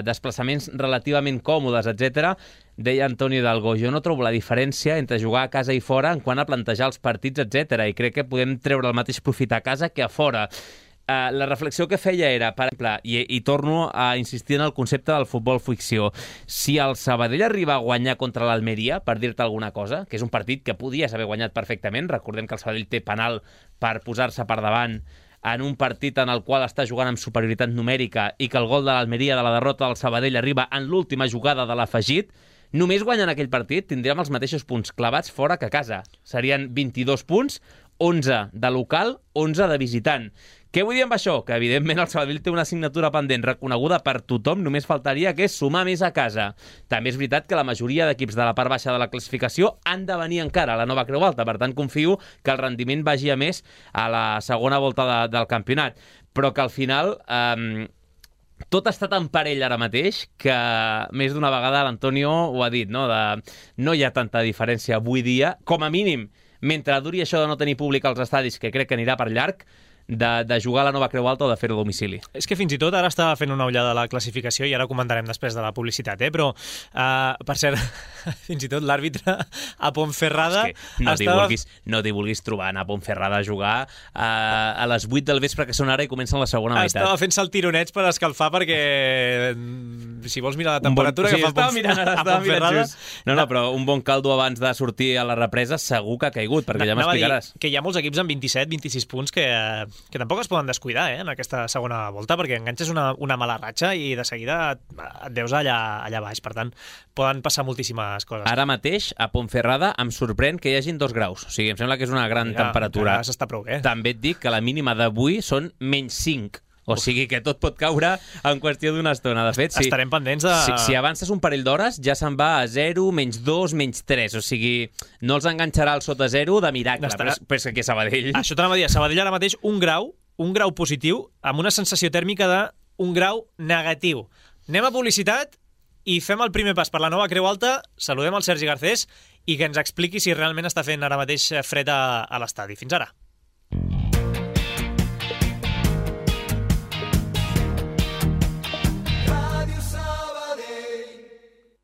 desplaçaments relativament còmodes, etc., deia Antonio Hidalgo, jo no trobo la diferència entre jugar a casa i fora en quant a plantejar els partits, etc. I crec que podem treure el mateix profit a casa que a fora. La reflexió que feia era, per exemple, i torno a insistir en el concepte del futbol ficció, si el Sabadell arriba a guanyar contra l'Almeria, per dir-te alguna cosa, que és un partit que podies haver guanyat perfectament, recordem que el Sabadell té penal per posar-se per davant en un partit en el qual està jugant amb superioritat numèrica i que el gol de l'Almeria de la derrota del Sabadell arriba en l'última jugada de l'afegit, només guanyant aquell partit tindríem els mateixos punts clavats fora que a casa. Serien 22 punts, 11 de local, 11 de visitant. Què vull dir amb això? Que, evidentment, el Sabadell té una assignatura pendent reconeguda per tothom, només faltaria que és sumar més a casa. També és veritat que la majoria d'equips de la part baixa de la classificació han de venir encara a la nova Creu Alta, per tant, confio que el rendiment vagi a més a la segona volta del campionat. Però que al final tot està tan parell ara mateix que més d'una vegada l'Antonio ho ha dit, no? No hi ha tanta diferència avui dia, com a mínim, mentre duri això de no tenir públic als estadis, que crec que anirà per llarg, de jugar a la nova Creu Alta o de fer-ho a domicili. És que fins i tot ara estava fent una ullada a la classificació i ara comentarem després de la publicitat, però, per cert, fins i tot l'àrbitre a Ponferrada... És que no t'hi vulguis trobar anar a Ponferrada a jugar a les 8 del vespre, que són ara, i comencen la segona meitat. Estava fent-se el tironets per escalfar perquè, si vols mirar la temperatura que fa a Ponferrada... No, però un bon caldo abans de sortir a la represa segur que ha caigut, perquè ja m'explicaràs. Que hi ha molts equips amb 27-26 punts que tampoc es poden descuidar en aquesta segona volta, perquè enganxes una mala ratxa i de seguida et veus allà baix. Per tant, poden passar moltíssimes coses. Ara mateix, a Ponferrada, em sorprèn que hi hagin 2 graus. O sigui, em sembla que és una gran temperatura. S'està prou bé. També et dic que la mínima d'avui són -5. O sigui que tot pot caure en qüestió d'una estona. De fet, estarem pendents de... Si avances un parell d'hores, ja se'n va a 0, -2, -3. O sigui, no els enganxarà el sota 0 de miracle. Però és que Sabadell... Això t'anava a dir, a Sabadell ara mateix un grau positiu amb una sensació tèrmica de 1 grau negatiu. Anem a publicitat i fem el primer pas per la nova Creu Alta. Saludem el Sergi Garcés i que ens expliqui si realment està fent ara mateix fred a l'estadi. Fins ara.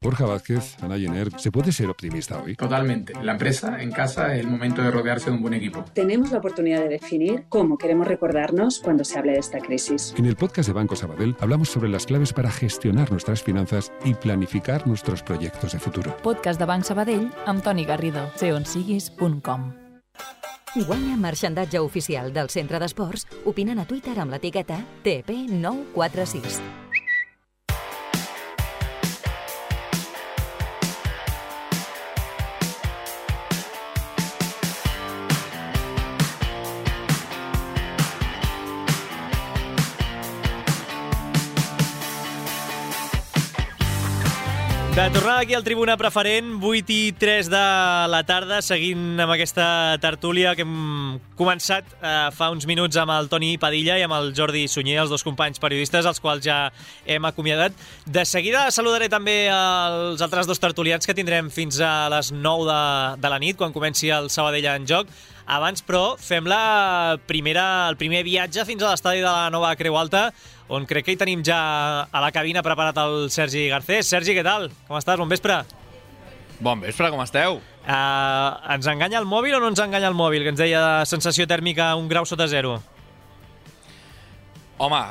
Borja Vázquez, Ana Jenner, ¿se puede ser optimista hoy? Totalmente. La empresa, en casa, es el momento de rodearse de un buen equipo. Tenemos la oportunidad de definir cómo queremos recordarnos cuando se hable de esta crisis. En el podcast de Banco Sabadell hablamos sobre las claves para gestionar nuestras finanzas y planificar nuestros proyectos de futuro. Podcast de Banc Sabadell amb Toni Garrido. seonsiguis.com. Guanya marxandatge oficial del Centre d'Esports opinant a Twitter amb l'etiqueta TP946. De tornada aquí al Tribuna Preferent, 8:03 de la tarda, seguint amb aquesta tertúlia que hem començat fa uns minuts amb el Toni Padilla i amb el Jordi Sunyer, els dos companys periodistes, els quals ja hem acomiadat. De seguida saludaré també els altres dos tertulians que tindrem fins a les 9 de la nit, quan comenci el Sabadell en joc. Abans, però, fem el primer viatge fins a l'estadi de la nova Creu Alta, on crec que hi tenim ja a la cabina preparat el Sergi Garcés. Sergi, què tal? Com estàs? Bon vespre. Bon vespre, com esteu? Ens enganya el mòbil o no ens enganya el mòbil, que ens deia sensació tèrmica 1 grau sota 0? Home,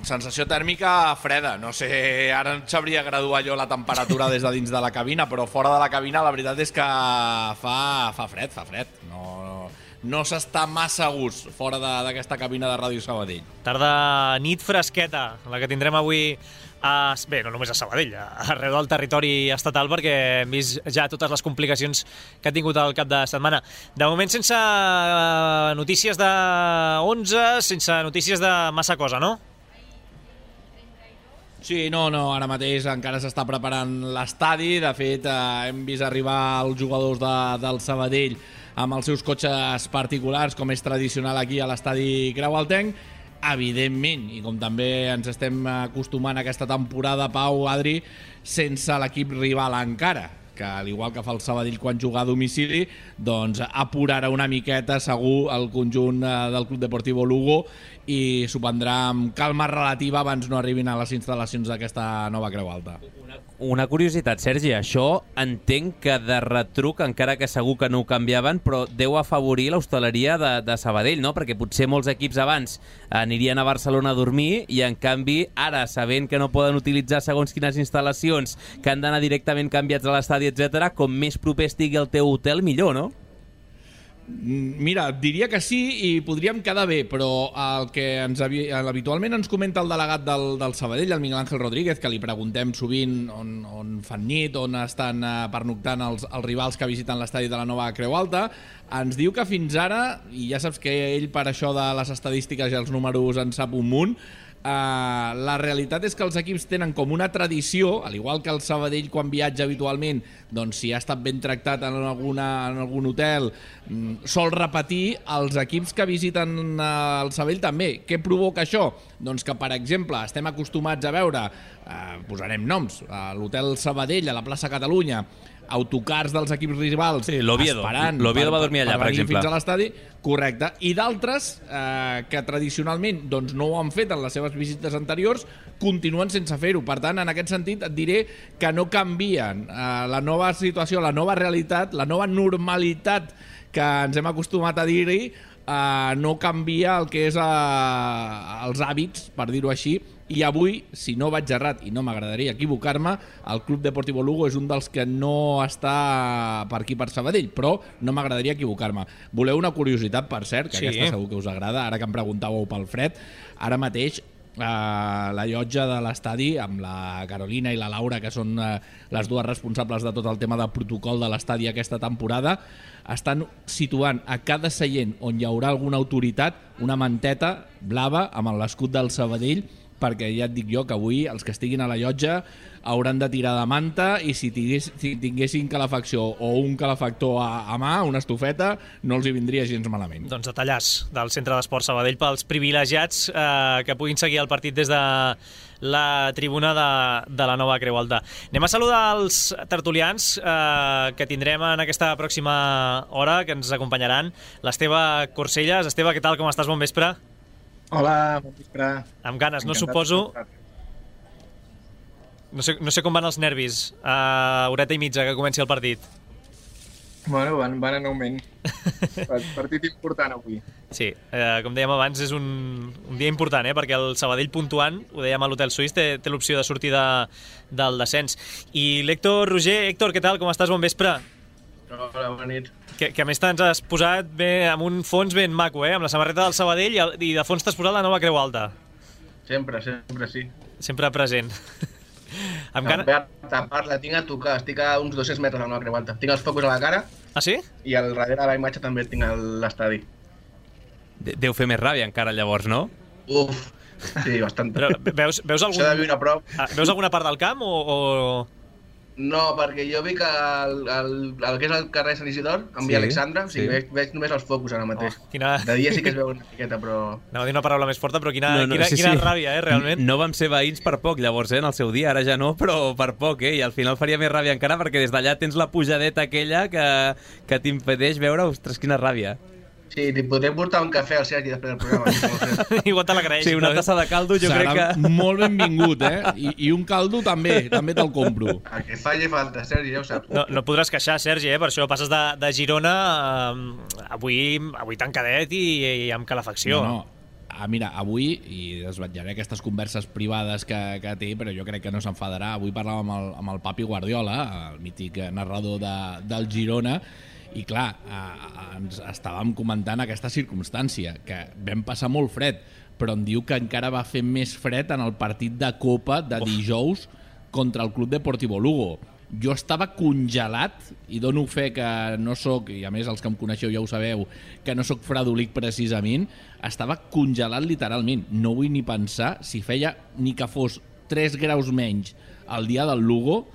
sensació tèrmica freda. No sé, ara no sabria graduar jo la temperatura des de dins de la cabina, però fora de la cabina la veritat és que fa fred. No s'està massa a gust fora d'aquesta cabina de Ràdio Sabadell. Tarda nit fresqueta, la que tindrem avui bé, no només a Sabadell, arreu del territori estatal, perquè hem vist ja totes les complicacions que ha tingut el cap de setmana. De moment sense notícies de 11, sense notícies de massa cosa, no? Sí, no, ara mateix encara s'està preparant l'estadi. De fet, hem vist arribar els jugadors del Sabadell amb els seus cotxes particulars, com és tradicional aquí a l'estadi Creualtenc. Evidentment, i com també ens estem acostumant a aquesta temporada, Pau, Adri, sense l'equip rival encara, que al igual que fa el Sabadell quan juga a domicili, doncs apurarà una miqueta segur el conjunt del Club Deportivo Lugo i s'ho prendrà amb calma relativa abans no arribin a les instal·lacions d'aquesta nova Creu Alta. Una curiositat, Sergi, això entenc que de retruc, encara que segur que no ho canviaven, però deu afavorir l'hostaleria de Sabadell, no? Perquè potser molts equips abans anirien a Barcelona a dormir i, en canvi, ara, sabent que no poden utilitzar segons quines instal·lacions, que han d'anar directament canviats a l'estadi, etc., com més proper estigui el teu hotel, millor, no? Mira, diria que sí i podríem quedar bé, però el que habitualment ens comenta el delegat del Sabadell, el Miguel Ángel Rodríguez, que li preguntem sovint on fan nit, on estan pernoctant els rivals que visiten l'estadi de la nova Creu Alta, ens diu que fins ara, i ja saps que ell per això de les estadístiques i els números en sap un munt, la realitat és que els equips tenen com una tradició, al igual que el Sabadell quan viatja habitualment, doncs si ha estat ben tractat en algun hotel, sol repetir els equips que visiten el Sabadell també. Què provoca això? Doncs que, per exemple, estem acostumats a veure, posarem noms, a l'hotel Sabadell, a la plaça Catalunya, autocars dels equips rivals esperant l'Oviedo va dormir allà, per exemple, fins a l'estadi, correcte, i d'altres que tradicionalment doncs, no ho han fet en les seves visites anteriors, continuen sense fer-ho. Per tant, en aquest sentit et diré que no canvien la nova situació, la nova realitat, la nova normalitat que ens hem acostumat a dir-hi, no canvia el que és els hàbits, per dir-ho així. I avui, si no vaig errat, i no m'agradaria equivocar-me, el Club Deportivo Lugo és un dels que no està per aquí, per Sabadell, però no m'agradaria equivocar-me. Voleu una curiositat, per cert, que sí, aquesta segur que us agrada, ara que em preguntàveu pel fred, ara mateix la llotja de l'estadi, amb la Carolina i la Laura, que són les dues responsables de tot el tema de protocol de l'estadi aquesta temporada, estan situant a cada seient on hi haurà alguna autoritat una manteta blava amb l'escut del Sabadell, perquè ja et dic jo que avui els que estiguin a la llotja hauran de tirar de manta i si tinguessin calefacció o un calefactor a mà, una estufeta, no els hi vindria gens malament. Doncs detallars del Centre d'Esport Sabadell pels privilegiats que puguin seguir el partit des de la tribuna de la nova Creu Alta. Anem a saludar els tertulians que tindrem en aquesta pròxima hora, que ens acompanyaran. L'Esteve Corcelles. Esteve, què tal? Com estàs? Bon vespre. Hola, bon vespre. Amb ganes, no suposo. No sé com van els nervis a horeta i mitja que comenci el partit. Bueno, van en augment. Partit important avui. Sí, com dèiem abans, és un dia important, perquè el Sabadell puntuant, ho dèiem a l'Hotel Suís, té l'opció de sortir del descens. I l'Héctor Roger. Héctor, què tal? Com estàs? Bon vespre. Hola, bona nit. Que a més t'ens has posat bé, amb un fons ben maco, amb la samarreta del Sabadell i de fons t'has posat la nova Creu Alta. Sempre sí. Sempre present. La tinc a tocar, estic a uns 200 metres de la nova Creu Alta. Tinc els focus a la cara. Ah, sí? I al darrere de la imatge també tinc l'estadi. Deu fer més ràbia encara llavors, no? Uf, sí, bastant. Però veus alguna part del camp o...? No, perquè jo vi que el que és el carrer Sant Isidor, amb Via Alexandra, o sigui, veig només els focus ara mateix. De dia sí que es veu una miqueta, però... Anava a dir una paraula més forta, però quina ràbia, realment. No vam ser veïns per poc, llavors, en el seu dia, ara ja no, però per poc, i al final faria més ràbia encara, perquè des d'allà tens la pujadeta aquella que t'impedeix veure, ostres, quina ràbia. Sí, t'hi podrem portar un cafè al Sergi després del programa. Igual te l'agraeix. Sí, una tassa de caldo jo crec que... Serà molt benvingut, I un caldo també te'l compro. El que faci falta, Sergi, ja ho saps. No podràs queixar, Sergi, per això passes de Girona avui tancadet i amb calefacció. No. Mira, avui, i desvetllaré aquestes converses privades que té, però jo crec que no s'enfadarà, avui parlàvem amb el Papi Guardiola, el mític narrador del Girona, i clar, ens estàvem comentant aquesta circumstància, que vam passar molt fred, però em diu que encara va fer més fred en el partit de Copa de dijous contra el Club Deportivo Lugo. Jo estava congelat, i dono fe que no sóc, i a més els que em coneixeu ja ho sabeu, que no sóc fredolic precisament, estava congelat literalment. No vull ni pensar si feia ni que fos 3 graus menys el dia del Lugo,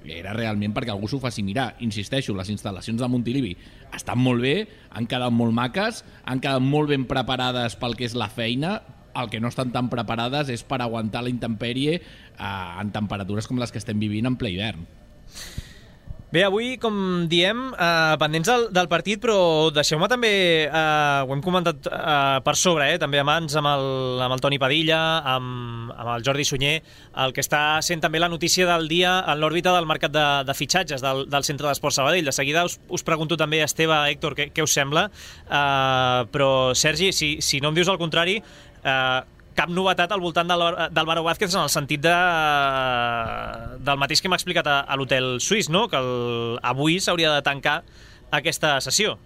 era realment perquè algú s'ho faci mirar. Insisteixo, les instal·lacions de Montilivi estan molt bé, han quedat molt maques, han quedat molt ben preparades pel que és la feina. El que no estan tan preparades és per aguantar la intempèrie en temperatures com les que estem vivint en ple hivern. Bé, avui, com diem, pendents del partit, però deixeu-me també, ho hem comentat per sobre, també abans amb el Toni Padilla, amb el Jordi Sunyer, el que està sent també la notícia del dia en l'òrbita del mercat de fitxatges del Centre d'Esports Sabadell. De seguida us pregunto també, Esteve, Héctor, què us sembla, però Sergi, si no em dius el contrari, cap novetat al voltant d'Álvaro Vázquez en el sentit del mateix que m'ha explicat a l'hotel suís, no? Que avui s'hauria de tancar aquesta sessió.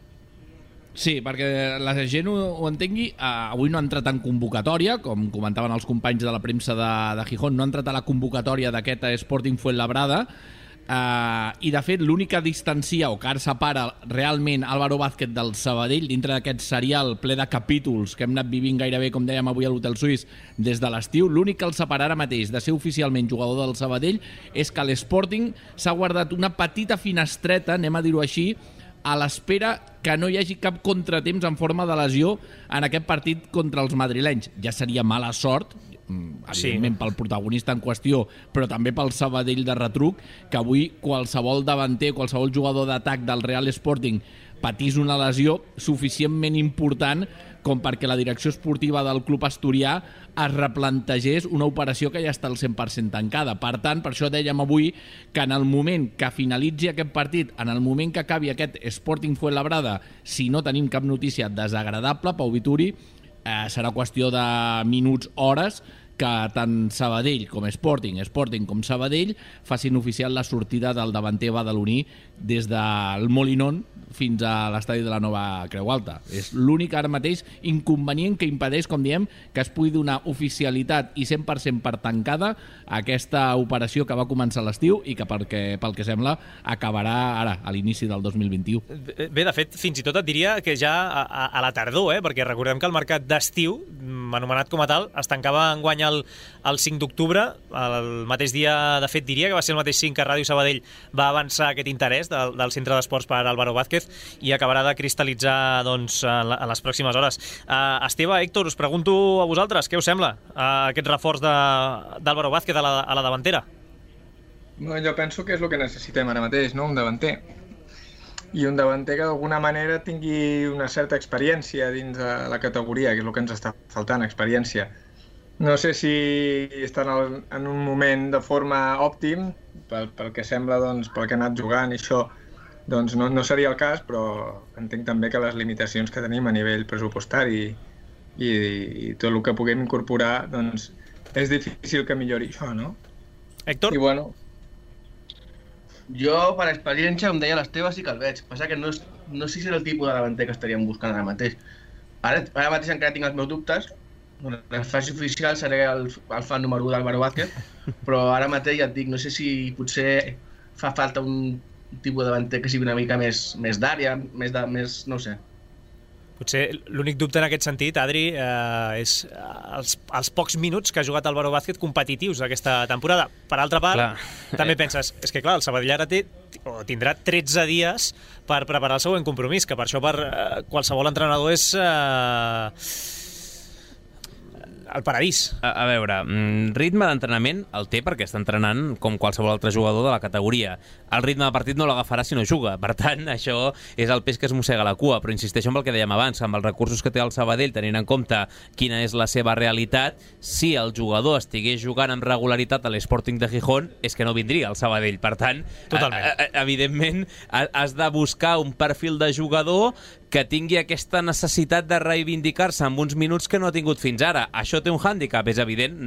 Sí, perquè la gent ho entengui, avui no ha entrat en convocatòria, com comentaven els companys de la premsa de Gijón, no ha entrat a la convocatòria d'aquest Sporting Fuenlabrada, i de fet l'única distancia o que ara separa realment Álvaro Vázquez del Sabadell dintre d'aquest serial ple de capítols que hem anat vivint gairebé, com dèiem avui a l'hotel suís, des de l'estiu, l'únic que el separa ara mateix de ser oficialment jugador del Sabadell és que l'Sporting s'ha guardat una petita finestreta, anem a dir-ho així, a l'espera que no hi hagi cap contratemps en forma de lesió en aquest partit contra els madrilenys. Ja seria mala sort, evidentment pel protagonista en qüestió, però també pel Sabadell de retruc, que avui qualsevol davanter, qualsevol jugador d'atac del Real Sporting patís una lesió suficientment important com perquè la direcció esportiva del club asturià es replantegés una operació que ja està al 100% tancada. Per tant, per això dèiem avui que en el moment que finalitzi aquest partit, en el moment que acabi aquest Sporting Fuenlabrada, si no tenim cap notícia desagradable, Pau Vituri, serà qüestió de minuts, hores, que tant Sabadell com Sporting com Sabadell facin oficial la sortida del davanter badaloní des del Molinón fins a l'estadi de la Nova Creu Alta. És l'únic ara mateix inconvenient que impedeix, com diem, que es pugui donar oficialitat i 100% per tancada aquesta operació que va començar a l'estiu i que pel que sembla acabarà ara, a l'inici del 2021. Bé, de fet, fins i tot et diria que ja a la tardor, perquè recordem que el mercat d'estiu, anomenat com a tal, es tancava enguany el 5 d'octubre, el mateix dia, de fet diria que va ser el mateix 5 que Ràdio Sabadell va avançar aquest interès del Centre d'Esports per Álvaro Vázquez i acabarà de cristal·litzar doncs, en les pròximes hores. Esteve, Héctor, us pregunto a vosaltres, què us sembla aquest reforç d'Álvaro Vázquez a la davantera? Jo penso que és el que necessitem ara mateix, no? Un davanter. I un davanter que d'alguna manera tingui una certa experiència dins de la categoria, que és el que ens està faltant, experiència. No sé si estan en un moment de forma òptim, pel que sembla, doncs, pel que ha anat jugant i això, doncs no seria el cas, però entenc també que les limitacions que tenim a nivell pressupostari i tot el que puguem incorporar, doncs és difícil que millori això, no? Héctor? I bueno... Jo, per experiència, com deia l'Esteve, sí que el veig. Passa que no sé si és el tipus de davanter que estaríem buscant ara mateix. Ara mateix encara tinc els meus dubtes. Quan es faci oficial seré el fan número 1 d'Álvaro Vázquez, però ara mateix ja et dic, no sé si potser fa falta un tipus de davanter que sigui una mica més d'àrea, més no sé. Potser l'únic dubte en aquest sentit, Adri, és els pocs minuts que ha jugat Álvaro Vázquez competitius aquesta temporada. Per altra part, també penses, és que clar, el Sabadell ara tindrà 13 dies per preparar el següent compromís, que per això per qualsevol entrenador és el paradís. A veure, ritme d'entrenament el té perquè està entrenant com qualsevol altre jugador de la categoria. El ritme de partit no l'agafarà si no juga. Per tant, això és el peix que es mossega la cua. Però insisteixo en el que dèiem abans, amb els recursos que té el Sabadell, tenint en compte quina és la seva realitat, si el jugador estigués jugant amb regularitat a l'Sporting de Gijón, és que no vindria al Sabadell. Per tant, evidentment, has de buscar un perfil de jugador que tingui aquesta necessitat de reivindicar-se amb uns minuts que no ha tingut fins ara. Això té un hàndicap, és evident.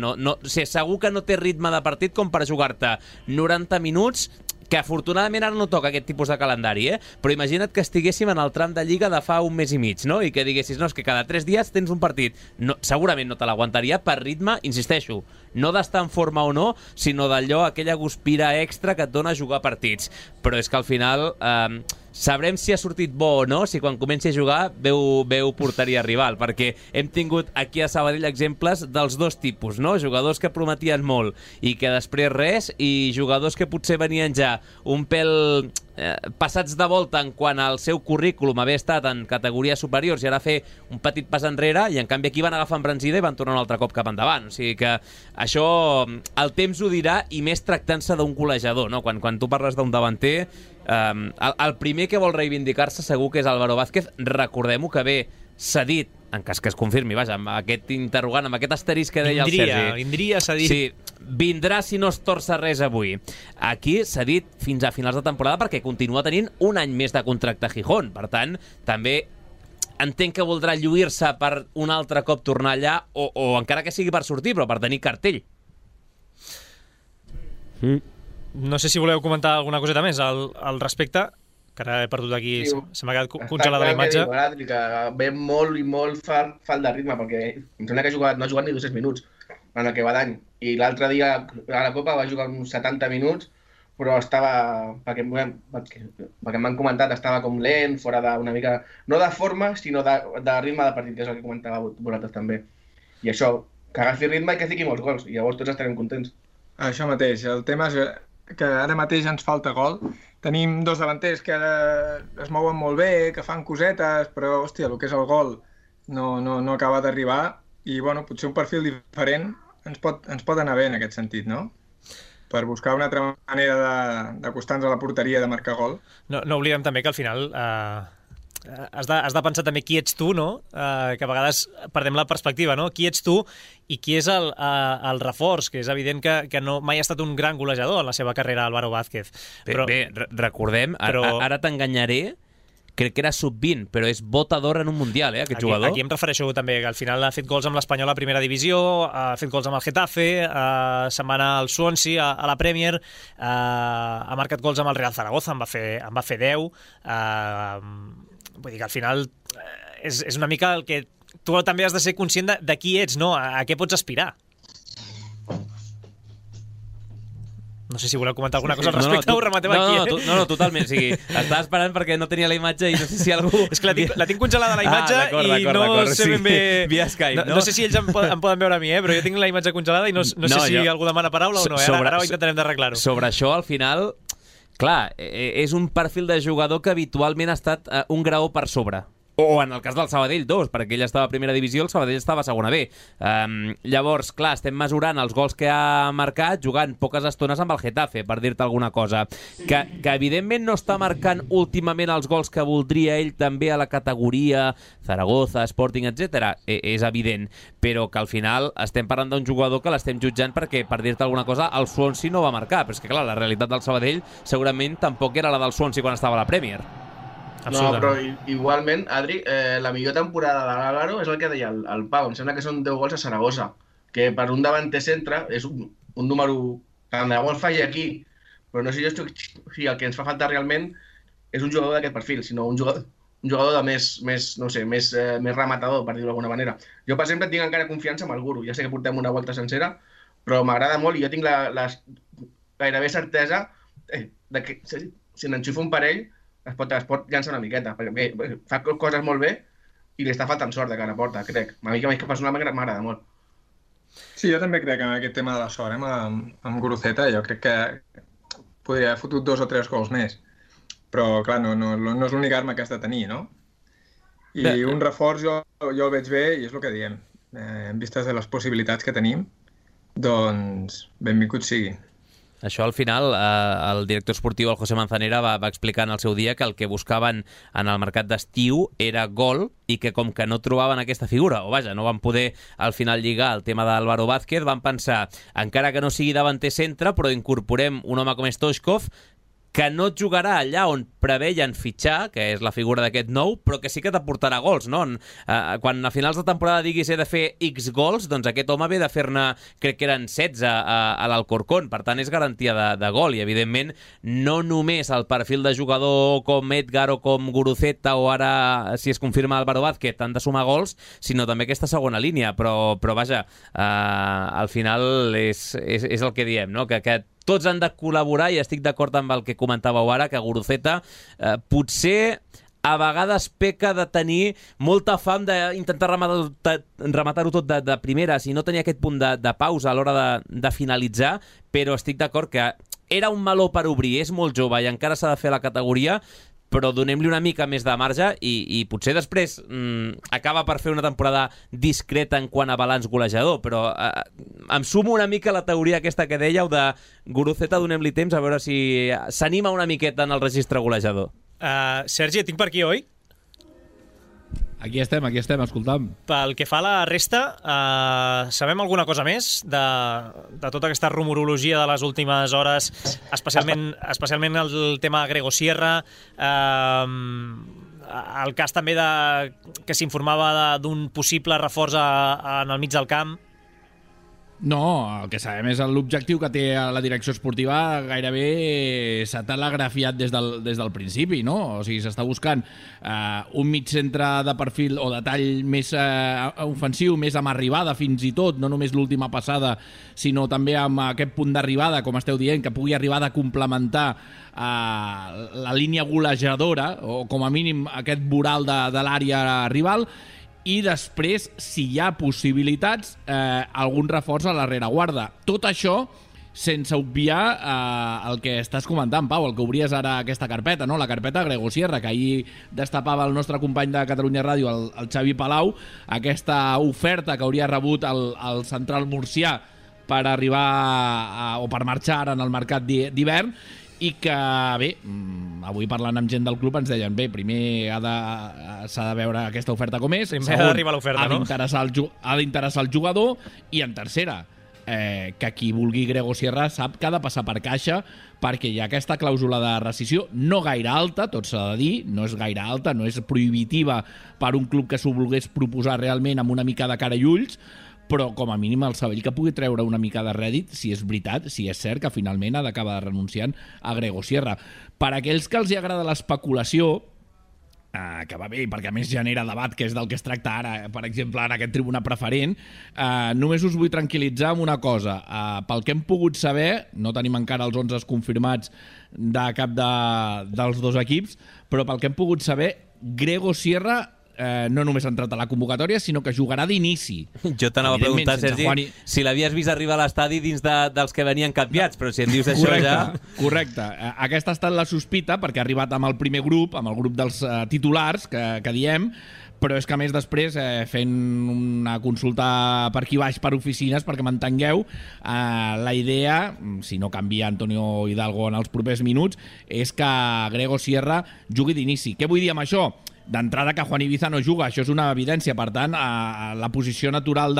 Segur que no té ritme de partit com per jugar-te 90 minuts, que afortunadament ara no toca aquest tipus de calendari, però imagina't que estiguéssim en el tram de Lliga de fa un mes i mig, no? I que diguessis, no, és que cada 3 dies tens un partit. No, segurament no te l'aguantaria per ritme, insisteixo, no d'estar en forma o no, sinó d'allò, aquella guspira extra que et dona jugar partits. Però és que al final sabrem si ha sortit bo o no si quan comenci a jugar veu porteria rival, perquè hem tingut aquí a Sabadell exemples dels dos tipus, no? Jugadors que prometien molt i que després res, i jugadors que potser venien ja un pèl passats de volta en quant al seu currículum haver estat en categories superiors i ara fer un petit pas enrere, i en canvi aquí van agafar embranzida i van tornar un altre cop cap endavant. O sigui que això el temps ho dirà, i més tractant-se d'un golejador, no? Quan tu parles d'un davanter, el primer que vol reivindicar-se segur que és Álvaro Vázquez. Recordem-ho que ve cedit, en cas que es confirmi, vaja, amb aquest interrogant, amb aquest asterisc que deia el Sergi. Vindria cedit. Sí, vindrà si no es torça res avui. Aquí s'ha dit fins a finals de temporada perquè continua tenint un any més de contracte a Gijón. Per tant, també entenc que voldrà lluir-se per un altre cop tornar allà, o encara que sigui per sortir, però per tenir cartell. No sé si voleu comentar alguna coseta més al respecte, que ara he perdut aquí, sí, se m'ha quedat congelada la imatge. Que ve molt i molt falt de ritme, perquè em sembla que no ha jugat ni 200 minuts en el que va d'any. I l'altre dia a la Copa va jugar uns 70 minuts, però estava, perquè m'han comentat, estava com lent, fora d'una mica, no de forma, sinó de ritme de partit, que és el que comentava vosaltres també. I això, que agafi ritme i que fiqui molts gols, i llavors tots estarem contents. Això mateix, el tema és que ara mateix ens falta gol. Tenim dos davanters que ara es mouen molt bé, que fan cosetes, però, hòstia, el que és el gol no acaba d'arribar, i, bueno, potser un perfil diferent ens pot anar bé en aquest sentit, no? Per buscar una altra manera d'acostar-nos a la porteria de marcar gol. No oblidem també que al final has de pensar també qui ets tu, no? Que a vegades perdem la perspectiva, no? Qui ets tu i qui és el reforç, que és evident que no mai ha estat un gran golejador en la seva carrera, Álvaro Vázquez. Bé, recordem, ara t'enganyaré, crec que era sub-20, però és bota d'or en un Mundial, aquest jugador. Aquí em refereixo també, que al final ha fet gols amb l'Espanyol a primera divisió, ha fet gols amb el Getafe, se'n va anar al Swansea, a la Premier, ha marcat gols amb el Real Zaragoza, en va fer 10. Vull dir que al final és una mica el que tu també has de ser conscient de qui ets, no? A què pots aspirar. No sé si voleu comentar alguna cosa al respecte, ho rematem aquí. No, totalment. O sigui, estava esperant perquè no tenia la imatge i no sé si algú... És que la tinc congelada, la imatge, i no sé ben bé... Via Skype, no? No sé si ells em poden veure a mi, però jo tinc la imatge congelada i no sé si algú demana paraula o no. Ara ho intentarem d'arreglar-ho. Sobre això, al final, clar, és un perfil de jugador que habitualment ha estat un graó per sobre. O en el cas del Sabadell, 2, perquè ell estava a primera divisió, el Sabadell estava a segona B. Llavors, clar, estem mesurant els gols que ha marcat jugant poques estones amb el Getafe, per dir-te alguna cosa. Que evidentment no està marcant últimament els gols que voldria ell també a la categoria Zaragoza, Sporting, etc. És evident, però que al final estem parlant d'un jugador que l'estem jutjant perquè, per dir-te alguna cosa, el Swansea no va marcar. Però és que, clar, la realitat del Sabadell segurament tampoc era la del Swansea quan estava a la Premier. No, però igualment, Adri, la millor temporada de l'Álvaro és el que deia el Pau. Em sembla que són 10 gols a Saragossa, que per un davanter centre és un número... Tant de gol faci aquí, però no sé jo si el que ens fa falta realment és un jugador d'aquest perfil, sinó un jugador de més rematador, per dir-ho d'alguna manera. Jo, per exemple, tinc encara confiança amb el Guru. Ja sé que portem una volta sencera, però m'agrada molt i jo tinc gairebé certesa que si n'enxufo un parell es pot llançar una miqueta, perquè fa coses molt bé i li està faltant sort de cara a porta, crec. A mi que personalment m'agrada molt. Sí, jo també crec en aquest tema de la sort, amb Guruceta, jo crec que podria haver fotut 2 o 3 gols més. Però, clar, no és l'única arma que has de tenir, no? I un reforç jo el veig bé i és el que diem. En vistes de les possibilitats que tenim, doncs benvingut sigui. Això al final, el director esportiu, el José Manzanera, va explicar en el seu dia que el que buscaven en el mercat d'estiu era gol i que com que no trobaven aquesta figura, o vaja, no van poder al final lligar el tema d'Álvaro Vázquez, van pensar, encara que no sigui davanter centre, però incorporem un home com Stoichkov, que no jugarà allà on preveien fitxar, que és la figura d'aquest nou, però que sí que t'aportarà gols, no? Quan a finals de temporada diguis he de fer X gols, doncs aquest home ve de fer-ne, crec que eren 16 a l'Alcorcón, per tant és garantia de gol, i evidentment no només el perfil de jugador com Edgar o com Guruceta o ara, si es confirma Álvaro Vázquez, han de sumar gols, sinó també aquesta segona línia, però vaja, al final és el que diem, no? Que tots han de col·laborar i estic d'acord amb el que comentàveu ara, que Guruceta potser a vegades peca de tenir molta fam d'intentar rematar-ho tot de primeres i no tenir aquest punt de pausa a l'hora de finalitzar, però estic d'acord que era un meló per obrir, és molt jove i encara s'ha de fer la categoria, però donem-li una mica més de marge i potser després acaba per fer una temporada discreta en quant a balanç golejador, però em sumo una mica a la teoria aquesta que dèieu de Guruceta, donem-li temps a veure si s'anima una miqueta en el registre golejador. Sergi, et tinc per aquí, oi? Aquí estem, escoltam. Pel que fa a la resta, sabem alguna cosa més de tota aquesta rumorologia de les últimes hores, especialment el tema Grego Sierra, el cas també que s'informava d'un possible reforç en el mig del camp? No, el que sabem és l'objectiu que té la direcció esportiva gairebé s'ha telegrafiat des del principi, no? O sigui, s'està buscant un mig centre de perfil o de tall més ofensiu, més amb arribada fins i tot, no només l'última passada, sinó també amb aquest punt d'arribada, com esteu dient, que pugui arribar a complementar la línia golejadora, o com a mínim aquest voral de l'àrea rival, i després, si hi ha possibilitats, algun reforç a la rereguarda. Tot això sense obviar el que estàs comentant, Pau, el que obries ara aquesta carpeta, no? La carpeta Grego Sierra, que ahir destapava el nostre company de Catalunya Ràdio, el Xavi Palau, aquesta oferta que hauria rebut el central murcià per arribar o per marxar ara en el mercat d'hivern, i que, bé, avui parlant amb gent del club ens deien, bé, primer s'ha de veure aquesta oferta com és, primer ha d'arribar l'oferta, no? Ha d'interessar el jugador, i en tercera, que qui vulgui Grego Sierra sap que ha de passar per caixa, perquè hi ha aquesta clàusula de rescissió no gaire alta, tot s'ha de dir, no és gaire alta, no és prohibitiva per un club que s'ho volgués proposar realment amb una mica de cara i ulls, però com a mínim el Sabadell que pugui treure una mica de rèdit, si és veritat, si és cert que finalment ha d'acabar renunciant a Grego Sierra. Per aquells que els hi agrada l'especulació, que va bé, perquè a més genera debat, que és del que es tracta ara, per exemple, en aquest tribuna preferent, només us vull tranquil·litzar amb una cosa. Pel que hem pogut saber, no tenim encara els 11 confirmats de cap dels dos equips, però pel que hem pogut saber, Grego Sierra no només ha entrat a la convocatòria, sinó que jugarà d'inici. Jo t'anava a preguntar, Sergi, si l'havies vist arribar a l'estadi dins dels que venien canviats, però si em dius això ja... Correcte. Aquesta ha estat la sospita, perquè ha arribat amb el primer grup, amb el grup dels titulars, que diem, però és que a més després, fent una consulta per aquí baix per oficines, perquè m'entengueu, la idea, si no canvia Antonio Hidalgo en els propers minuts, és que Grego Sierra jugui d'inici. Què vull dir amb això? D'entrada que Juan Ibiza no juga, això és una evidència, per tant la posició natural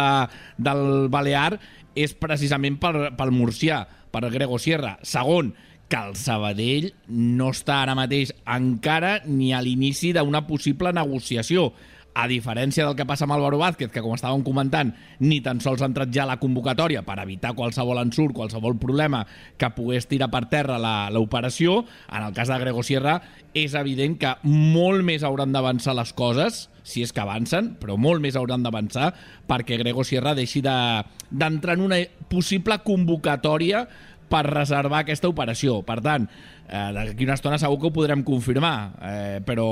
del Balear és precisament pel murcià, per Grego Sierra. Segon, que el Sabadell no està ara mateix encara ni a l'inici d'una possible negociació, a diferència del que passa amb Álvaro Vázquez, que com estàvem comentant, ni tan sols ha entrat ja a la convocatòria per evitar qualsevol ensurt, qualsevol problema que pogués tirar per terra l'operació. En el cas de Grego Sierra és evident que molt més hauran d'avançar les coses, si és que avancen, però molt més hauran d'avançar perquè Grego Sierra deixi d'entrar en una possible convocatòria per reservar aquesta operació. Per tant, d'aquí una estona segur que ho podrem confirmar, però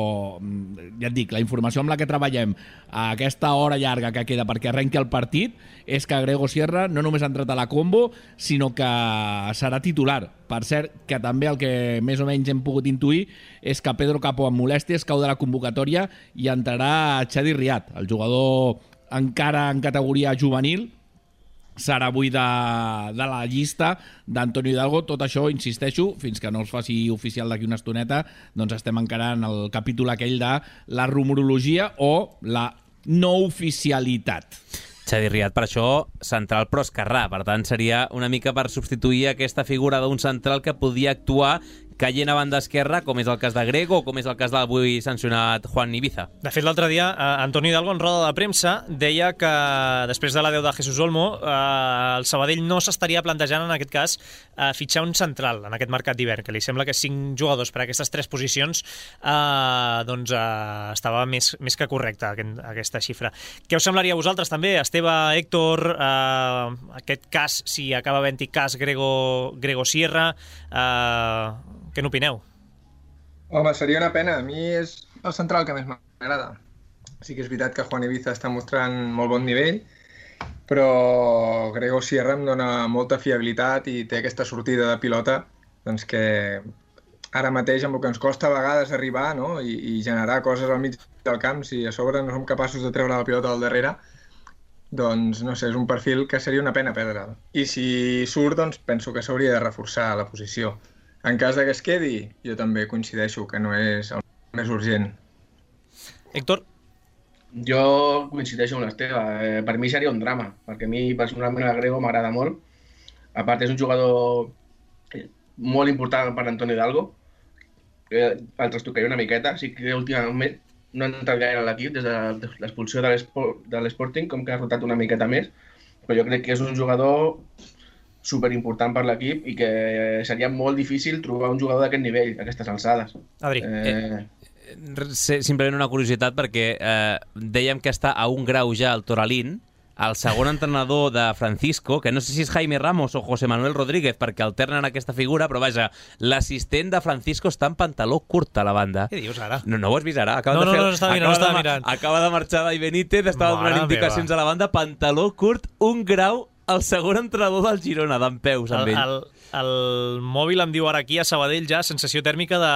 ja et dic, la informació amb la que treballem a aquesta hora llarga que queda perquè arrenqui el partit és que Grego Sierra no només ha entrat a la combo, sinó que serà titular. Per cert, que també el que més o menys hem pogut intuir és que Pedro Capó amb molèsties cau de la convocatòria i entrarà Chadi Riad, el jugador encara en categoria juvenil, serà avui de la llista d'Antonio Hidalgo. Tot això, insisteixo, fins que no es faci oficial d'aquí una estoneta, doncs estem encara en el capítol aquell de la rumorologia o la no oficialitat. Chadi Riad, per això, central però esquerrà. Per tant, seria una mica per substituir aquesta figura d'un central que podia actuar caient a banda esquerra, com és el cas de Grego o com és el cas de l'avui sancionat Juan Ibiza. De fet, l'altre dia, Antonio Hidalgo en roda de premsa deia que després de l'adeu de Jesús Olmo, el Sabadell no s'estaria plantejant en aquest cas fitxar un central en aquest mercat d'hivern, que li sembla que 5 jugadors per a aquestes 3 posicions doncs estava més que correcta aquesta xifra. Què us semblaria a vosaltres també, Esteve, Héctor, aquest cas, si acaba havent-hi cas Grego Sierra, què n'opineu? Home, seria una pena. A mi és el central que més m'agrada. Sí que és veritat que Juan Ibiza està mostrant molt bon nivell, però Grego Sierra em dona molta fiabilitat i té aquesta sortida de pilota doncs que ara mateix amb el que ens costa a vegades arribar, no? I generar coses al mig del camp, si a sobre no som capaços de treure la pilota al darrere, doncs no sé, és un perfil que seria una pena perdre'l. I si surt, doncs penso que s'hauria de reforçar la posició. En cas de que es quedi, jo també coincideixo que no és el més urgent. Héctor? Jo coincideixo amb l'Esteve. Per mi seria un drama, perquè a mi personalment el Grego m'agrada molt. A part, és un jugador molt important per Antonio Hidalgo. El trastocaria una miqueta. Sí que últimament no ha entrat gaire a l'equip des de l'expulsió de l'Sporting, com que ha rotat una miqueta més. Però jo crec que és un jugador superimportant per l'equip i que seria molt difícil trobar un jugador d'aquest nivell, a aquestes alçades. Adri. Simplement una curiositat, perquè dèiem que està a un grau ja el Toralín, el segon entrenador de Francisco, que no sé si és Jaime Ramos o José Manuel Rodríguez, perquè alternen aquesta figura, però vaja, l'assistent de Francisco està en pantaló curt a la banda. Què dius ara? No ho has vist ara? Estava mirant. Acaba de marxar Dai Benítez, estava donant indicacions a la banda, pantaló curt, un grau, el segon entrenador del Girona, d'en peus amb ell. El mòbil em diu ara aquí a Sabadell ja sensació tèrmica de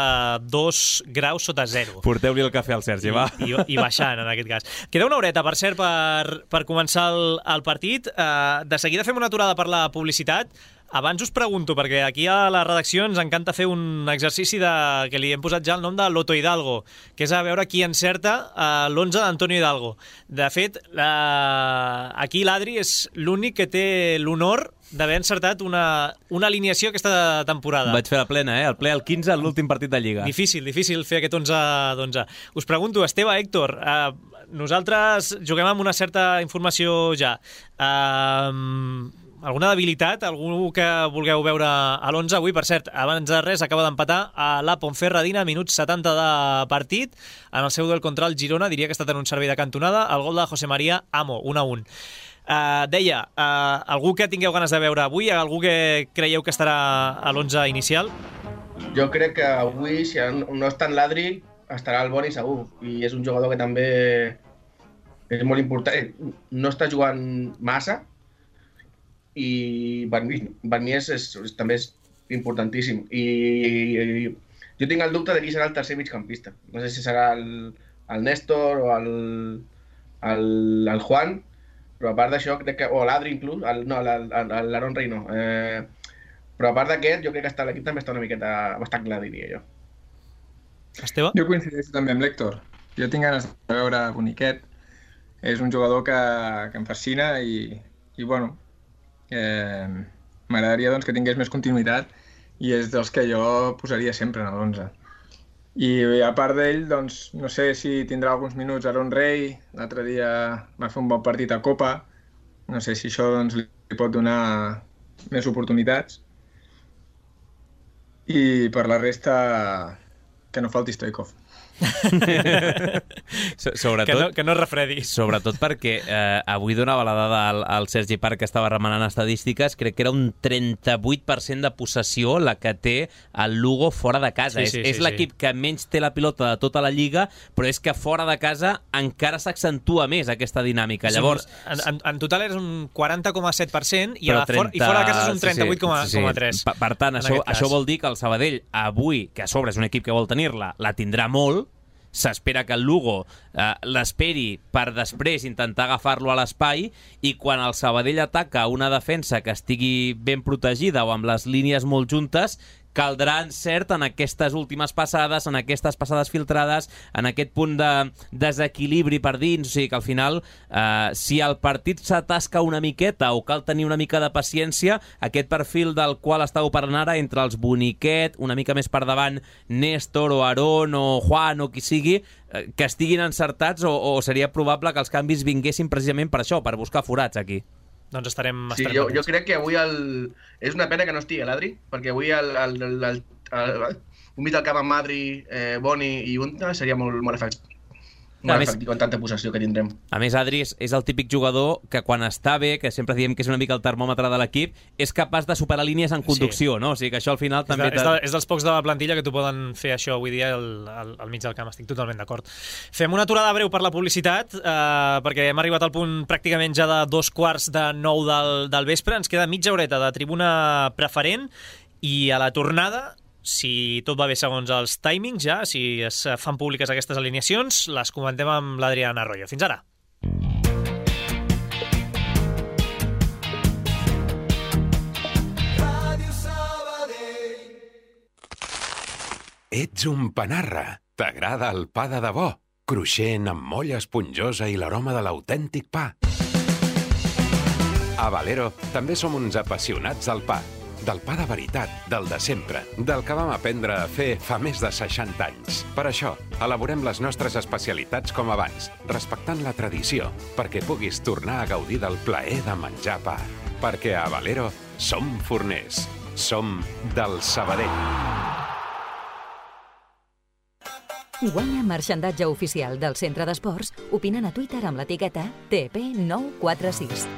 2 graus sota 0. Porteu-li el cafè al Sergi, va. I baixant, en aquest cas. Queda una horeta, per cert, per començar el partit. De seguida fem una aturada per la publicitat. Abans us pregunto, perquè aquí a la redacció ens encanta fer un exercici que li hem posat ja el nom de Loto Hidalgo, que és a veure qui encerta l'11 d'Antonio Hidalgo. De fet, aquí l'Adri és l'únic que té l'honor d'haver encertat una alineació aquesta temporada. Vaig fer la plena, el ple al 15 en l'últim partit de Lliga. Difícil fer aquest 11 d'11. Us pregunto, Esteve, Héctor, nosaltres juguem amb una certa informació ja. Alguna debilitat? Algú que vulgueu veure a l'11 avui? Per cert, abans de res, acaba d'empatar a la Ponferradina, minuts 70 de partit. En el seu duel contra el Girona, diria que ha estat en un servei de cantonada, el gol de José María Amo, 1-1. Deia, algú que tingueu ganes de veure avui? Algú que creieu que estarà a l'11 inicial? Jo crec que avui, si no està en l'Adri, estarà el Boni segur. I és un jugador que també és molt important. No està jugant massa, i per mi també és importantíssim. I jo tinc el dubte de qui serà el tercer migcampista. No sé si serà el Néstor o el Juan, però a part d'això, crec que, o l'Adri inclús, l'Aaron Rey no. Però a part d'aquest, jo crec que l'equip també està una miqueta bastant clar, diria jo. Esteve? Jo coincideixo també amb l'Héctor. Jo tinc ganes de veure Boniquet. És un jugador que em fascina i bueno, m'agradaria doncs, que tingués més continuïtat i és dels que jo posaria sempre en l'11. I a part d'ell, doncs, no sé si tindrà alguns minuts Aaron Rey, l'altre dia va fer un bon partit a Copa, no sé si això doncs, li pot donar més oportunitats. I per la resta, que no falti Stoikov. Sobretot, que no es refredi. Sobretot perquè avui donava la dada al Sergi Parc, que estava remenant estadístiques, crec que era un 38% de possessió la que té el Lugo fora de casa. És l'equip que menys té la pilota de tota la Lliga, però és que fora de casa encara s'accentua més aquesta dinàmica. Llavors, en total és un 40,7% i fora de casa és un 38,3%. Per tant, això vol dir que el Sabadell avui, que a sobre és un equip que vol tenir-la, la tindrà molt. S'espera que el Lugo l'esperi per després intentar agafar-lo a l'espai, i quan el Sabadell ataca una defensa que estigui ben protegida o amb les línies molt juntes, caldrà encert en aquestes últimes passades, en aquestes passades filtrades, en aquest punt de desequilibri per dins. O sigui que al final, si el partit s'atasca una miqueta o cal tenir una mica de paciència, aquest perfil del qual estàu parlant ara, entre els Boniquet, una mica més per davant Néstor o Aaron o Juan o qui sigui, que estiguin encertats, o seria probable que els canvis vinguessin precisament per això, per buscar forats aquí. Doncs estarem... Sí, jo crec que avui és una pena que no estigui l'Adri, perquè avui un mig del camp amb Madri, Boni i Unta seria molt efectiu. Molt efectiu en tanta possessió que tindrem. A més, Adri és el típic jugador que quan està bé, que sempre diem que és una mica el termòmetre de l'equip, és capaç de superar línies en conducció, no? O sigui que això al final també... És dels pocs de la plantilla que t'ho poden fer això avui dia al mig del camp, estic totalment d'acord. Fem una aturada breu per la publicitat, perquè hem arribat al punt pràcticament ja de 8:45 del vespre, ens queda mitja horeta de tribuna preferent, I a la tornada, si tot va bé segons els timings ja, si es fan públiques aquestes alineacions, les comentem amb l'Adrián Arroyo. Fins ara. Ets un panarra. T'agrada el pa de debò? Cruixent, amb molla esponjosa i l'aroma de l'autèntic pa. A Valero també som uns apassionats del pa. Del pa de veritat, del de sempre, del que vam aprendre a fer fa més de 60 anys. Per això, elaborem les nostres especialitats com abans, respectant la tradició, perquè puguis tornar a gaudir del plaer de menjar pa. Perquè a Valero som forners. Som del Sabadell. Guanya marxandatge oficial del Centre d'Esports opinant a Twitter amb l'etiqueta TP946.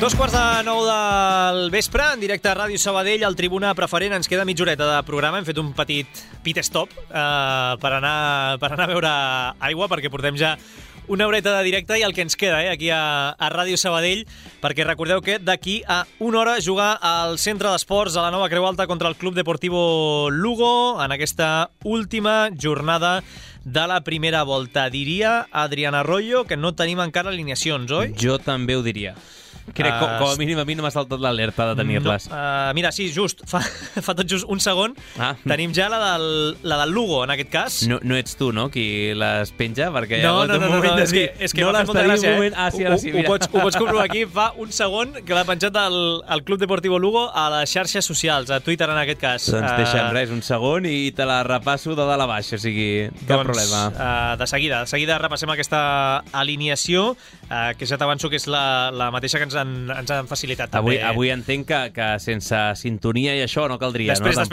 Dos quarts de 9 del vespre, en directe a Ràdio Sabadell, al Tribuna Preferent. Ens queda mitja horeta de programa. Hem fet un petit pit stop per anar a beure aigua, perquè portem ja una horeta de directe i el que ens queda aquí a Ràdio Sabadell, perquè recordeu que d'aquí a una hora jugar al Centre d'Esports a la Nova Creu Alta contra el Club Deportivo Lugo en aquesta última jornada de la primera volta. Diria Adrián Arroyo que no tenim encara alineacions, oi? Jo també ho diria. Crec que com a mínim a mi no m'ha saltat l'alerta de tenir-les. Mira, sí, just, fa tot just un segon. Tenim ja la del Lugo, en aquest cas. No ets tu, no?, qui les penja? Perquè no, és que m'ha fet molta gràcia. Ara sí, mira. Ho pots comprovar aquí. Fa un segon que l'ha penjat el Club Deportivo Lugo a les xarxes socials, a Twitter en aquest cas. Doncs deixa'm res, un segon i te la repasso de dalt a baix, o sigui, cap problema. De seguida repassem aquesta alineació, que ja t'avanço que és la mateixa que ens han facilitat també. Avui entenc que sense sintonia i això no caldria, després la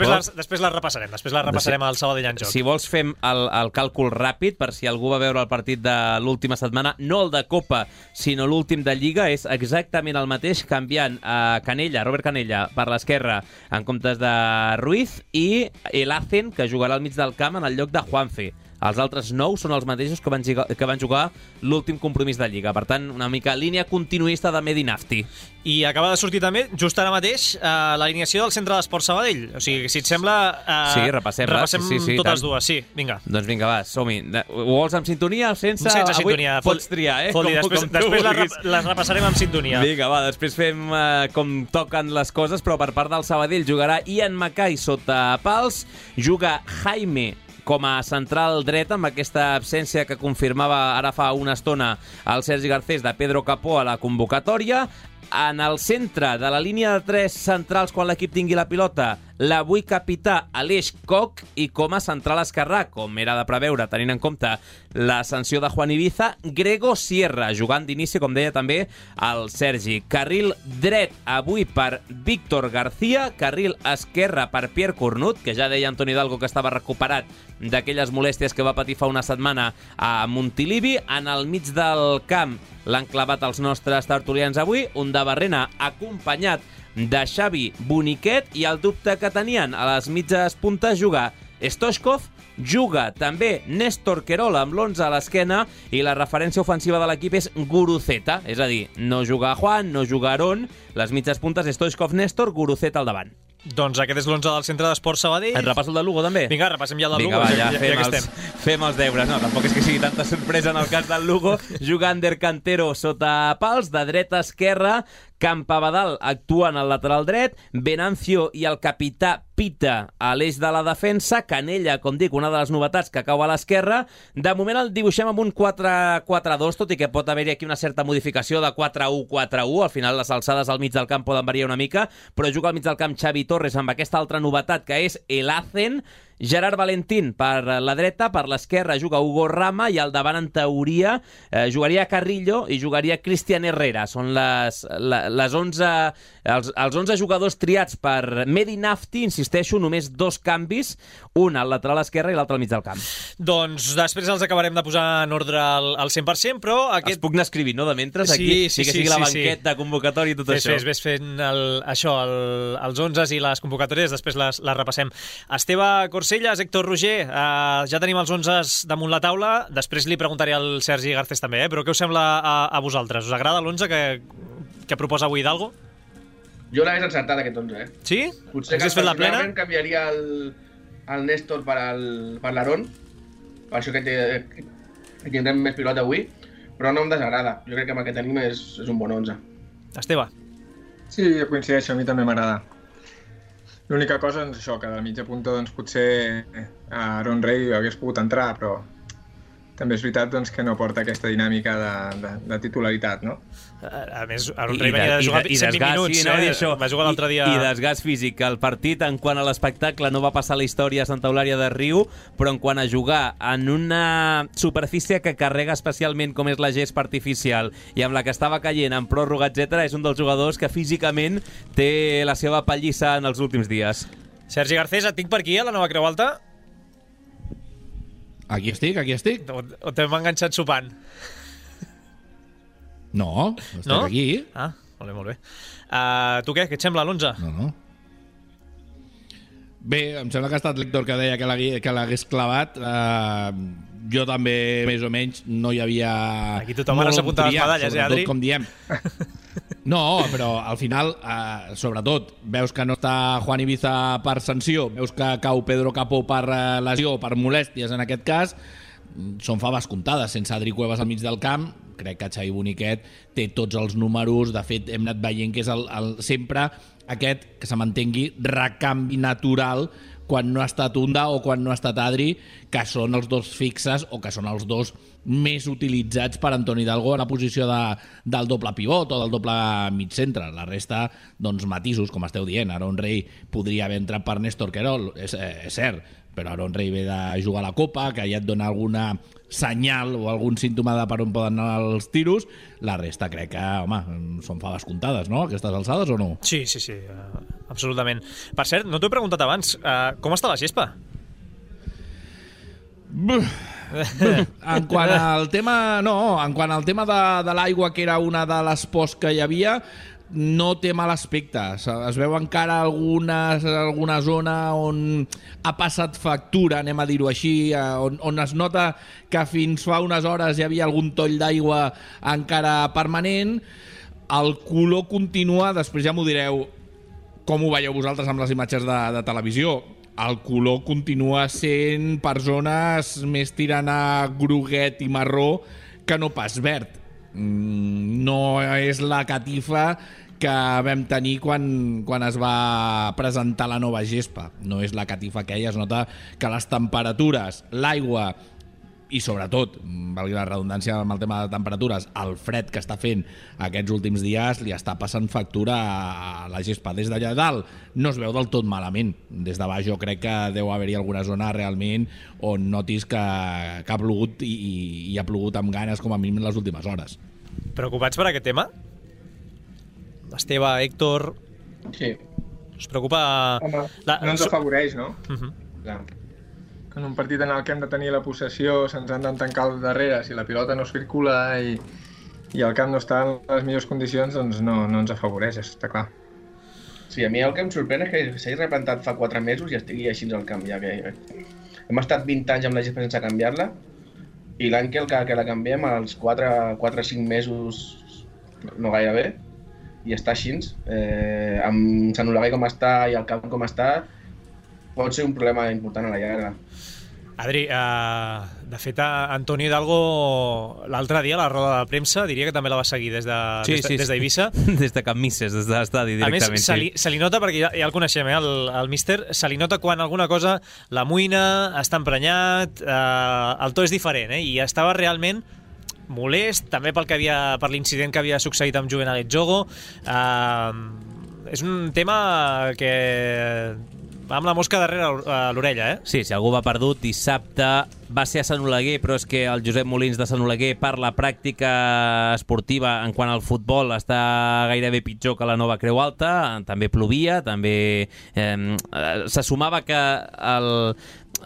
repassarem. Després la repassarem al Sabadell en joc. Si vols fem el càlcul ràpid per si algú va veure el partit de l'última setmana, no el de Copa, sinó l'últim de Lliga, és exactament el mateix, canviant a Robert Canella per l'esquerra en comptes de Ruiz, i el Hacen, que jugarà al mig del camp en el lloc de Juanfe. Els altres 9 són els mateixos que van jugar l'últim compromís de Lliga. Per tant, una mica línia continuista de Medi Nafti. I acaba de sortir també, just ara mateix, l'alineació del Centre d'Esports Sabadell. O sigui, si et sembla... Sí, repassem totes dues, sí, vinga. Doncs vinga, va, som-hi. Ho vols amb sintonia o sense? Sense sintonia. Pots triar, Després les repassarem amb sintonia. Vinga, va, després fem com toquen les coses, però per part del Sabadell jugarà Ian Mackay sota pals, juga Jaime com a central dret, amb aquesta absència que confirmava ara fa una estona el Sergi Garcés de Pedro Capó a la convocatòria. En el centre de la línia de 3 centrals, quan l'equip tingui la pilota, l'avui capità Aleix Koch, i com a central esquerrà, com era de preveure, tenint en compte la sanció de Juan Ibiza, Grego Sierra, jugant d'inici, com deia també el Sergi. Carril dret avui per Víctor García, carril esquerre per Pierre Cornut, que ja deia Antoni Hidalgo que estava recuperat d'aquelles molèsties que va patir fa una setmana a Montilivi. En el mig del camp l'han clavat els nostres tertulians avui, un de Barrena acompanyat de Xavi Boniquet, i el dubte que tenien a les mitges puntes jugar Stoichkov, juga també Néstor Querol amb l'11 a l'esquena, i la referència ofensiva de l'equip és Guruceta, és a dir, no juga Juan, no juga Aarón, les mitges puntes Stoichkov, Néstor, Guruceta al davant. Doncs aquest és l'11 del Centre d'Esports Sabadell. Et repasso el de Lugo, també? Vinga, repassem ja el de Lugo. Vinga, va, ja fem els deures. No, tampoc és que sigui tanta sorpresa en el cas del Lugo. Juga Ander Cantero sota pals, de dreta a esquerra. Campabadal actua en el lateral dret, Venancio i el capità Pita a l'eix de la defensa, Canella, com dic, una de les novetats que cau a l'esquerra. De moment el dibuixem amb un 4-4-2, tot i que pot haver-hi aquí una certa modificació de 4-1-4-1, al final les alçades al mig del camp poden variar una mica, però juga al mig del camp Xavi Torres amb aquesta altra novetat que és el Hacen, Gerard Valentín per la dreta, per l'esquerra juga Hugo Rama i al davant, en teoria, jugaria Carrillo i jugaria Cristian Herrera. Són els 11 jugadors triats per Medi Nafti, insisteixo, només 2 canvis, un al lateral esquerre i l'altre al mig del camp. Doncs després els acabarem de posar en ordre al 100%, però aquest... Els puc anar escrivint, no?, de mentre, aquí, que sigui la banqueta, convocatòria i tot això. Ves fent els 11 i les convocatòries, després les repassem. Esteve Corsellas, Héctor Roger, ja tenim els 11 damunt la taula, després li preguntaré al Sergi Garcés també, però què us sembla a vosaltres? Us agrada l'11 que proposa avui Hidalgo? Jo l'hagués encertat aquest 11, Sí? Potser que fet la plena? Canviaria el Néstor per l'Aaron, per això que tindrem més pilota avui, però no em desagrada. Jo crec que amb el que tenim és un bon 11. Esteve? Sí, jo coincideixo, a mi també m'agrada. L'única cosa és això, que de mitja punta doncs, potser Aaron Rey hagués pogut entrar, però també és veritat doncs, que no porta aquesta dinàmica de titularitat, no? A més, Aaron Rey venia de jugar 120 minuts, va jugar l'altre dia... I desgast físic. El partit, en quant a l'espectacle, no va passar la història a Santa Eulària de Riu, però en quant a jugar en una superfície que carrega especialment com és la gespa artificial i amb la que estava caient en pròrroga, etc., és un dels jugadors que físicament té la seva pallissa en els últims dies. Sergi Garcés, et tinc per aquí, a la Nova Creu Alta? Aquí estic. O t'hem enganxat sopant? No, estic aquí. Ah, molt bé. Tu què? Què et sembla l'11? No. Bé, em sembla que ha estat l'Héctor que deia que l'hagués clavat. Jo també, més o menys, no hi havia... Aquí tothom ara s'apunta les medalles, Adri? Com diem. No, però al final, sobretot, veus que no està Juan Ibiza per sanció, veus que cau Pedro Capó per lesió, per molèsties en aquest cas, són faves comptades. Sense Adri Cuevas al mig del camp, crec que Xavi Boniquet té tots els números. De fet, hem anat veient que és sempre aquest, que se m'entengui, recanvi natural quan no ha estat Unda o quan no ha estat Adri, que són els dos fixes o que són els dos més utilitzats per Antoni Hidalgo en la posició del doble pivot o del doble mig centre. La resta, doncs, matisos, com esteu dient. Aaron Rey podria haver entrat per Néstor Querol, és cert, però Aaron Rey ve de jugar a la Copa, que ja et dona alguna senyal o algun símptoma de per on poden anar els tiros. La resta crec que, home, són faves comptades, no?, aquestes alçades, o no? Sí, absolutament. Per cert, no t'ho he preguntat abans, com està la gespa? En quant al tema de l'aigua, que era una de les pors que hi havia, no té mal aspecte. Es veu encara alguna zona on ha passat factura, anem a dir-ho així, on es nota que fins fa unes hores hi havia algun toll d'aigua encara permanent. El color continua, després ja m'ho direu com ho veieu vosaltres amb les imatges de televisió. El color continua sent per zones més tirant a groguet i marró que no pas verd. No és la catifa que vam tenir quan es va presentar la nova gespa. No és la catifa aquella. Es nota que les temperatures, l'aigua i sobretot, valgui la redundància amb el tema de temperatures, el fred que està fent aquests últims dies li està passant factura a la gespa. Des d'allà dalt no es veu del tot malament. Des de baix jo crec que deu haver-hi alguna zona realment on notis que ha plogut i ha plogut amb ganes com a mínim en les últimes hores. Preocupats per aquest tema? Esteve, Héctor... Sí. Us preocupa... Home, no ens afavoreix, no? Clar. En un partit en el que hem de tenir la possessió, se'ns han de tancar al darrere, si la pilota no circula i el camp no està en les millors condicions, doncs no ens afavoreix, està clar. Sí, a mi el que em sorprèn és que s'hagi replantat fa 4 mesos i estigui així al camp, ja que hem estat 20 anys amb la gespa sense canviar-la i l'any que la canviem, als 4 o 5 mesos, no gaire bé, i està així, amb Sant Oleguer com està i el camp com està, pot ser un problema important a la llarga. Adri, de fet, Antoni Hidalgo l'altre dia a la roda de premsa diria que també la va seguir des d'Eivissa. Des de Can Misses, des de l'estadi directament. A més, se li nota, perquè ja el coneixem, el míster, se li nota quan alguna cosa l'amoïna, està emprenyat, el to és diferent, i estava realment molest, també per l'incident que havia succeït amb Juvenal Jogo. És un tema que amb la mosca darrere l'orella, eh? Sí, si algú va perdut, dissabte va ser a Sant Oleguer, però és que el Josep Molins de Sant Oleguer, per la pràctica esportiva en quant al futbol, està gairebé pitjor que la Nova Creu Alta, també plovia, també se sumava que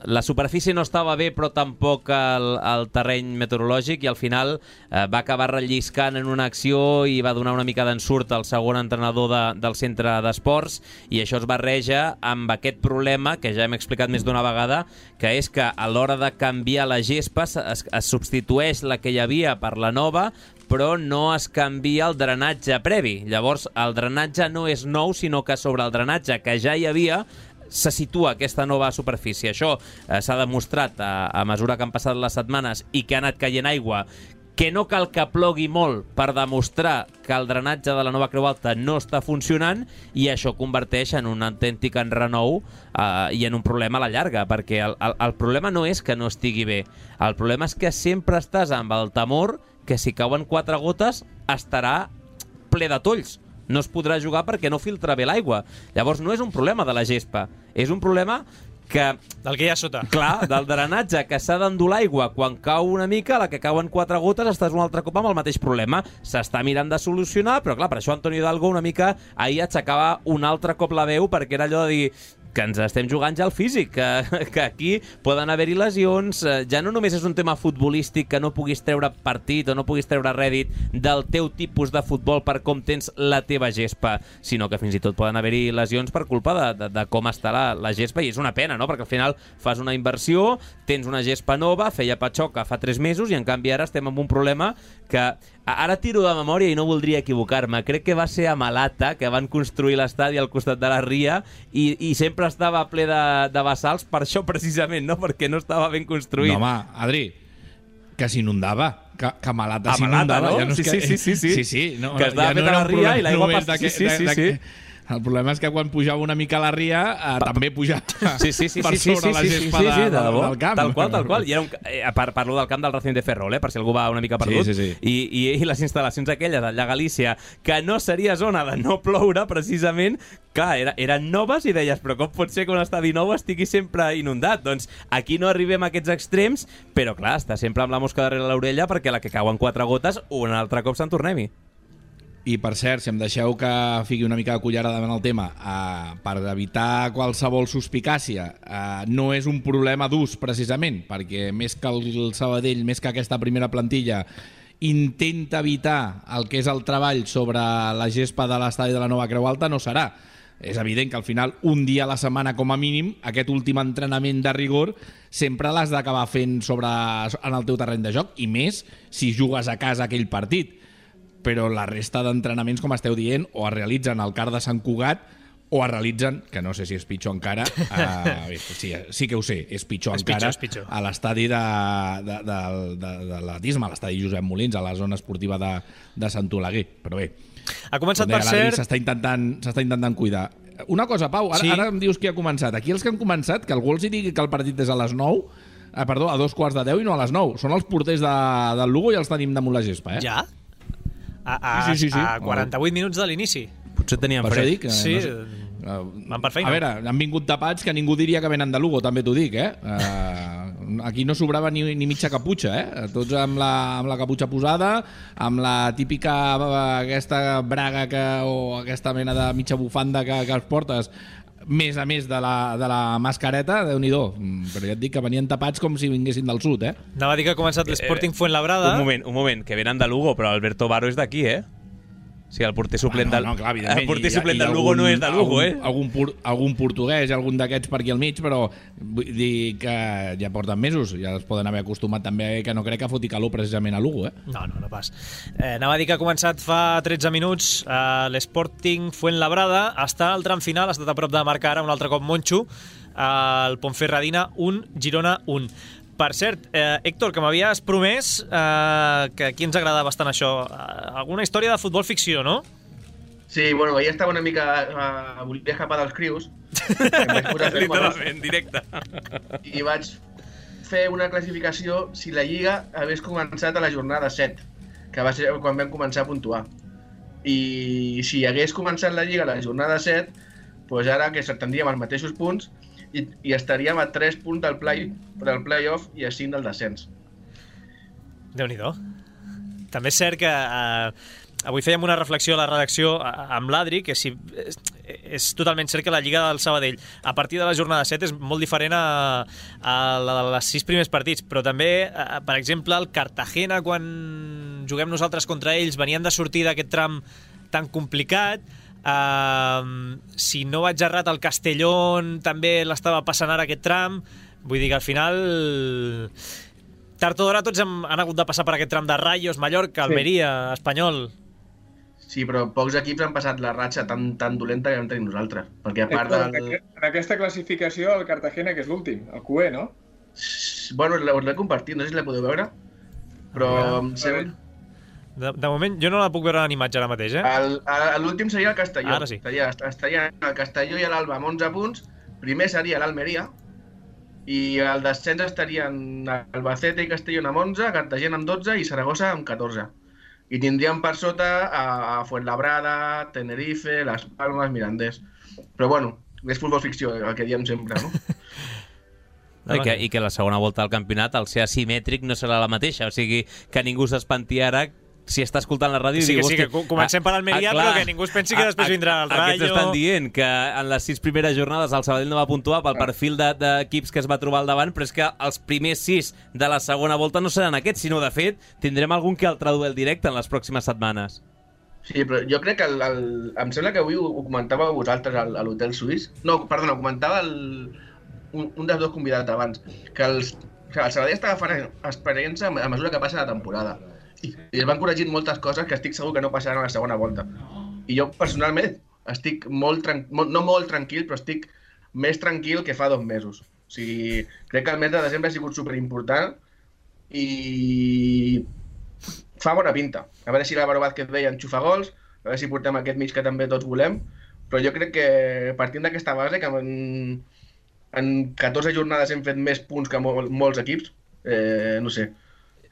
la superfície no estava bé, però tampoc el terreny meteorològic, i al final va acabar relliscant en una acció i va donar una mica d'ensurt al segon entrenador del centre d'esports, i això es barreja amb aquest problema que ja hem explicat més d'una vegada, que és que a l'hora de canviar la gespa es substitueix la que hi havia per la nova, però no es canvia el drenatge previ. Llavors, el drenatge no és nou, sinó que sobre el drenatge que ja hi havia se situa aquesta nova superfície. Això s'ha demostrat a mesura que han passat les setmanes i que ha anat caient aigua, que no cal que plogui molt per demostrar que el drenatge de la Nova Creu Alta no està funcionant, i això converteix en un autèntic enrenou i en un problema a la llarga, perquè el problema no és que no estigui bé, el problema és que sempre estàs amb el temor que si cauen 4 gotes estarà ple de tolls. No es podrà jugar perquè no filtra bé l'aigua. Llavors no és un problema de la gespa, és un problema del que hi ha sota. Clar, del drenatge, que s'ha d'endur l'aigua. Quan cau una mica, la que cauen 4 gotes, estàs un altre cop amb el mateix problema. S'està mirant de solucionar, però clar, per això Antonio Hidalgo una mica ahir aixecava un altre cop la veu, perquè era allò de dir que ens estem jugant ja al físic, que aquí poden haver-hi lesions, ja no només és un tema futbolístic, que no puguis treure partit o no puguis treure rèdit del teu tipus de futbol per com tens la teva gespa, sinó que fins i tot poden haver-hi lesions per culpa de com està la gespa, i és una pena, no? Perquè al final fas una inversió, tens una gespa nova, feia patxoca fa 3 mesos, i en canvi ara estem amb un problema que ara tiro de memòria i no voldria equivocar-me. Crec que va ser a Malata, que van construir l'estadi al costat de la ria, i sempre estava ple de bassals per això precisament, no? Perquè no estava ben construït. No, home, Adri, que s'inundava. Que Malata s'inundava. No? Ja no sí. No, que estava fet a la ria i l'aigua sí. El problema és que quan pujava una mica a la ria també pujava per sobre la gespa del camp. Tal qual. I parlo del camp del Racing de Ferrol, per si algú va una mica perdut. Sí. I les instal·lacions aquelles allà a Galícia, que no seria zona de no ploure, precisament, clar, eren noves, i deies, però com pot ser que un estadi nou estigui sempre inundat? Doncs aquí no arribem a aquests extrems, però clar, està sempre amb la mosca darrere l'orella, perquè la que cauen 4 gotes un altre cop se'n tornem-hi. I per cert, si em deixeu que fiqui una mica de cullerada davant el tema, per evitar qualsevol suspicàcia, no és un problema d'ús precisament, perquè més que el Sabadell, més que aquesta primera plantilla intenta evitar el que és el treball sobre la gespa de l'estadi de la Nova Creu Alta, no serà. És evident que al final un dia a la setmana com a mínim aquest últim entrenament de rigor sempre l'has d'acabar fent en el teu terreny de joc, i més si jugues a casa aquell partit. Però la resta d'entrenaments, com esteu dient, o es realitzen al CAR de Sant Cugat, o es realitzen, que no sé si és pitjor encara, sí que ho sé, és pitjor encara, a l'estadi de l'Atisme, a l'estadi Josep Molins, a la zona esportiva de Sant Oleguer. Però bé, ha començat, per cert, s'està intentant cuidar. Una cosa, Pau, ara em dius qui ha començat. Aquí els que han començat, que algú els digui que el partit és a les 9, a 2:15 i no a les 9. Són els porters del Lugo i els tenim damunt la gespa, eh? Ja? A 48 minuts de l'inici. Potser tenien fred. Sí, van per feina. A veure, han vingut tapats que ningú diria que venen de Lugo, també t'ho dic, eh? Aquí no sobrava ni mitja caputxa, eh? Tots amb la caputxa posada, amb la típica aquesta braga o aquesta mena de mitja bufanda que es portes, més a més de la mascareta, Déu-n'hi-do. Però ja et dic que venien tapats com si vinguessin del sud, eh? Anava a dir que ha començat l'Sporting Fuenlabrada. Un moment, que venen de Lugo, però Alberto Varo és d'aquí, eh? O sigui, el porter suplent del Lugo no és de Lugo, eh? Algun portuguès, algun d'aquests per aquí al mig, però vull dir que ja porten mesos, ja es poden haver acostumat també, que no crec que foti calor precisament a Lugo, eh? No pas. Anava a dir que ha començat fa 13 minuts l'Sporting Fuenlabrada, està al tram final, ha estat a prop de marcar ara un altre cop Moncho, el Ponferradina 1, Girona 1. Per cert, Héctor, que m'havies promès que aquí ens agrada bastant això, alguna història de futbol ficció, no? Sí, bueno, ahir estava una mica... volia escapar dels crius. Literalment, directe. I vaig fer una classificació si la Lliga hagués començat a la jornada 7, que va ser quan vam començar a puntuar. I si hagués començat la Lliga a la jornada 7, doncs ara que tindríem els mateixos punts i estaríem a 3 punts del play-off i a 5 del descens. Déu-n'hi-do. També és cert que avui fèiem una reflexió a la redacció amb l'Adri, que és totalment cert que la Lliga del Sabadell a partir de la jornada 7 és molt diferent a la de les 6 primers partits, però també, per exemple, el Cartagena, quan juguem nosaltres contra ells, venien de sortir d'aquest tram tan complicat. Si no vaig errat, el Castellón també l'estava passant ara aquest tram. Vull dir que al final tard o d'hora tots han hagut de passar per aquest tram de Rayos, Mallorca, Almeria, Espanyol. Sí, però pocs equips han passat la ratxa tan dolenta que vam tenir nosaltres. Perquè a part En aquesta classificació, el Cartagena, que és l'últim, el QE, no? Bueno, us l'he compartit, no sé si la podeu veure, però em sembla... De moment, jo no la puc veure en imatge ara mateix, L'últim seria el Castelló. Ara sí. Estaria el Castelló i l'Alba amb 11 punts. Primer seria l'Almeria. I al descens estarien Albacete i Castelló amb 11, Cartagena amb 12 i Saragossa amb 14. I tindríem per sota a Fuenlabrada, Tenerife, Las Palmas, Mirandés. Però bueno, és futbol ficció, el que diem sempre, no? I que la segona volta del campionat, al ser asimètric, no serà la mateixa. O sigui, que ningú s'espanti ara si està escoltant la ràdio i diu... Sí, que comencem per Almeria, però que ningú es pensi que després vindrà el Rayo... Aquests estan dient que en les 6 primeres jornades el Sabadell no va puntuar pel perfil d'equips que es va trobar al davant, però és que els primers 6 de la segona volta no seran aquests, sinó, de fet, tindrem algun que altre duel directe en les pròximes setmanes. Sí, però jo crec que em sembla que avui ho comentava vosaltres a l'Hotel Suís. No, perdona, ho comentava un dels dos convidats abans, que el Sabadell està agafant experiència a mesura que passa la temporada. I es van corregint moltes coses que estic segur que no passaran a la segona volta. I jo, personalment, estic no molt tranquil, però estic més tranquil que fa 2 mesos. O sigui, crec que el mes de desembre ha sigut superimportant i fa bona pinta. A veure si l'Álvaro Vázquez deia enxufa gols, a veure si portem aquest mig que també tots volem, però jo crec que partint d'aquesta base, que en 14 jornades hem fet més punts que molts equips, no sé,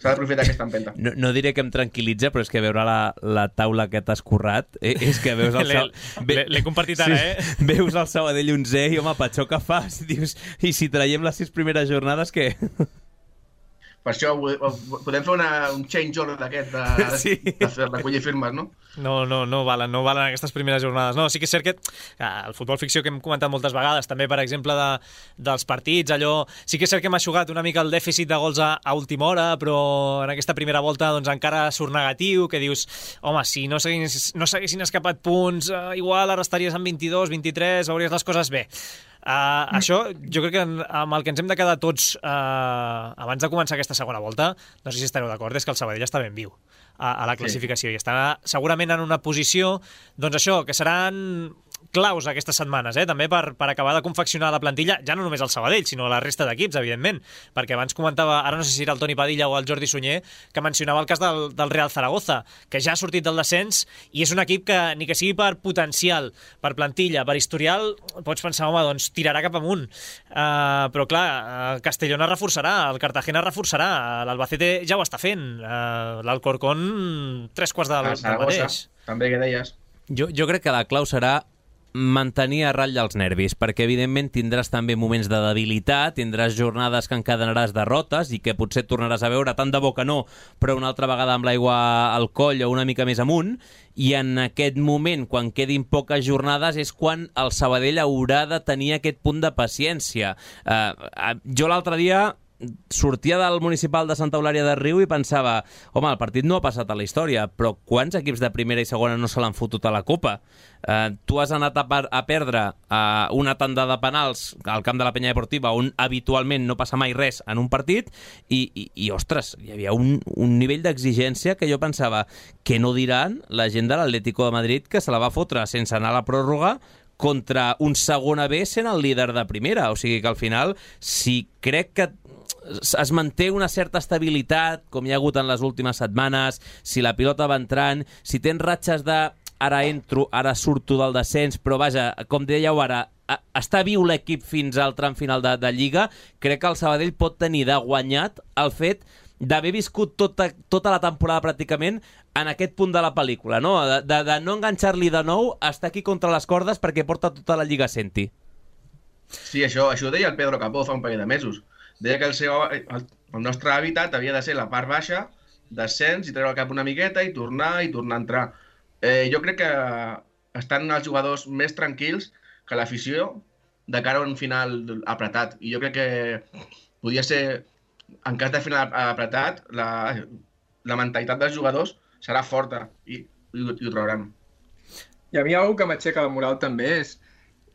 s'ha d'aprofitar aquesta empenta. No diré que em tranquil·litza, però és que veure la taula que t'has currat és que veus el L'he compartit ara, Veus el Sabadell 11 i, home, petxó que fas. Dius, i si traiem les 6 primeres jornades, què? Per això podem fer un change order d'aquest de recollir firmes, no? No valen aquestes primeres jornades. No, sí que és cert que el futbol ficció que hem comentat moltes vegades, també, per exemple, dels partits, allò... Sí que és cert que hem eixugat una mica el dèficit de gols a última hora, però en aquesta primera volta doncs encara surt negatiu, que dius, home, si no s'haguessin escapat punts, igual ara estaries en 22, 23, veuries les coses bé. Això, jo crec que amb el que ens hem de quedar tots abans de començar aquesta segona volta, no sé si estareu d'acord, és que el Sabadell està ben viu a la classificació i estarà segurament en una posició, doncs això, que seran claus aquestes setmanes, també per acabar de confeccionar la plantilla, ja no només el Sabadell, sinó la resta d'equips, evidentment, perquè abans comentava, ara no sé si era el Toni Padilla o el Jordi Sunyer, que mencionava el cas del Real Zaragoza, que ja ha sortit del descens i és un equip que, ni que sigui per potencial, per plantilla, per historial, pots pensar, home, doncs tirarà cap amunt. Però clar, el Castellón es reforçarà, el Cartagena es reforçarà, l'Albacete ja ho està fent, l'Alcorcón 3/4 del mateix. També que deies. Jo crec que la clau serà mantenir a ratlla els nervis, perquè evidentment tindràs també moments de debilitat, tindràs jornades que encadenaràs derrotes i que potser tornaràs a veure, tant de bo que no, però una altra vegada amb l'aigua al coll o una mica més amunt, i en aquest moment, quan quedin poques jornades, és quan el Sabadell haurà de tenir aquest punt de paciència. Jo l'altre dia sortia del municipal de Santa Eulària de Riu i pensava, home, el partit no ha passat a la història, però quants equips de primera i segona no se l'han fotut a la Copa? Tu has anat a perdre una tanda de penals al camp de la Penya Deportiva, on habitualment no passa mai res en un partit, i ostres, hi havia un nivell d'exigència que jo pensava, que no diran la gent de l'Atlético de Madrid que se la va fotre sense anar a la pròrroga contra un segona B sent el líder de primera. O sigui que al final, si crec que es manté una certa estabilitat, com hi ha hagut en les últimes setmanes, si la pilota va entrant, si tens ratxes de ara entro, ara surto del descens, però vaja, com dèieu ara, està viu l'equip fins al tram final de Lliga, crec que el Sabadell pot tenir de guanyat el fet d'haver viscut tota la temporada pràcticament en aquest punt de la pel·lícula, no? De no enganxar-li de nou, estar aquí contra les cordes perquè porta tota la Lliga Senti. Sí, això ho deia el Pedro Capó fa un parell de mesos. Deia que el nostre hàbitat havia de ser la part baixa, descens i treure el cap una miqueta i tornar a entrar. Jo crec que estan els jugadors més tranquils que l'afició de cara a un final apretat. I jo crec que podia ser, en cas de final apretat, la mentalitat dels jugadors serà forta i ho trauran. I a mi algo que m'aixeca la moral també és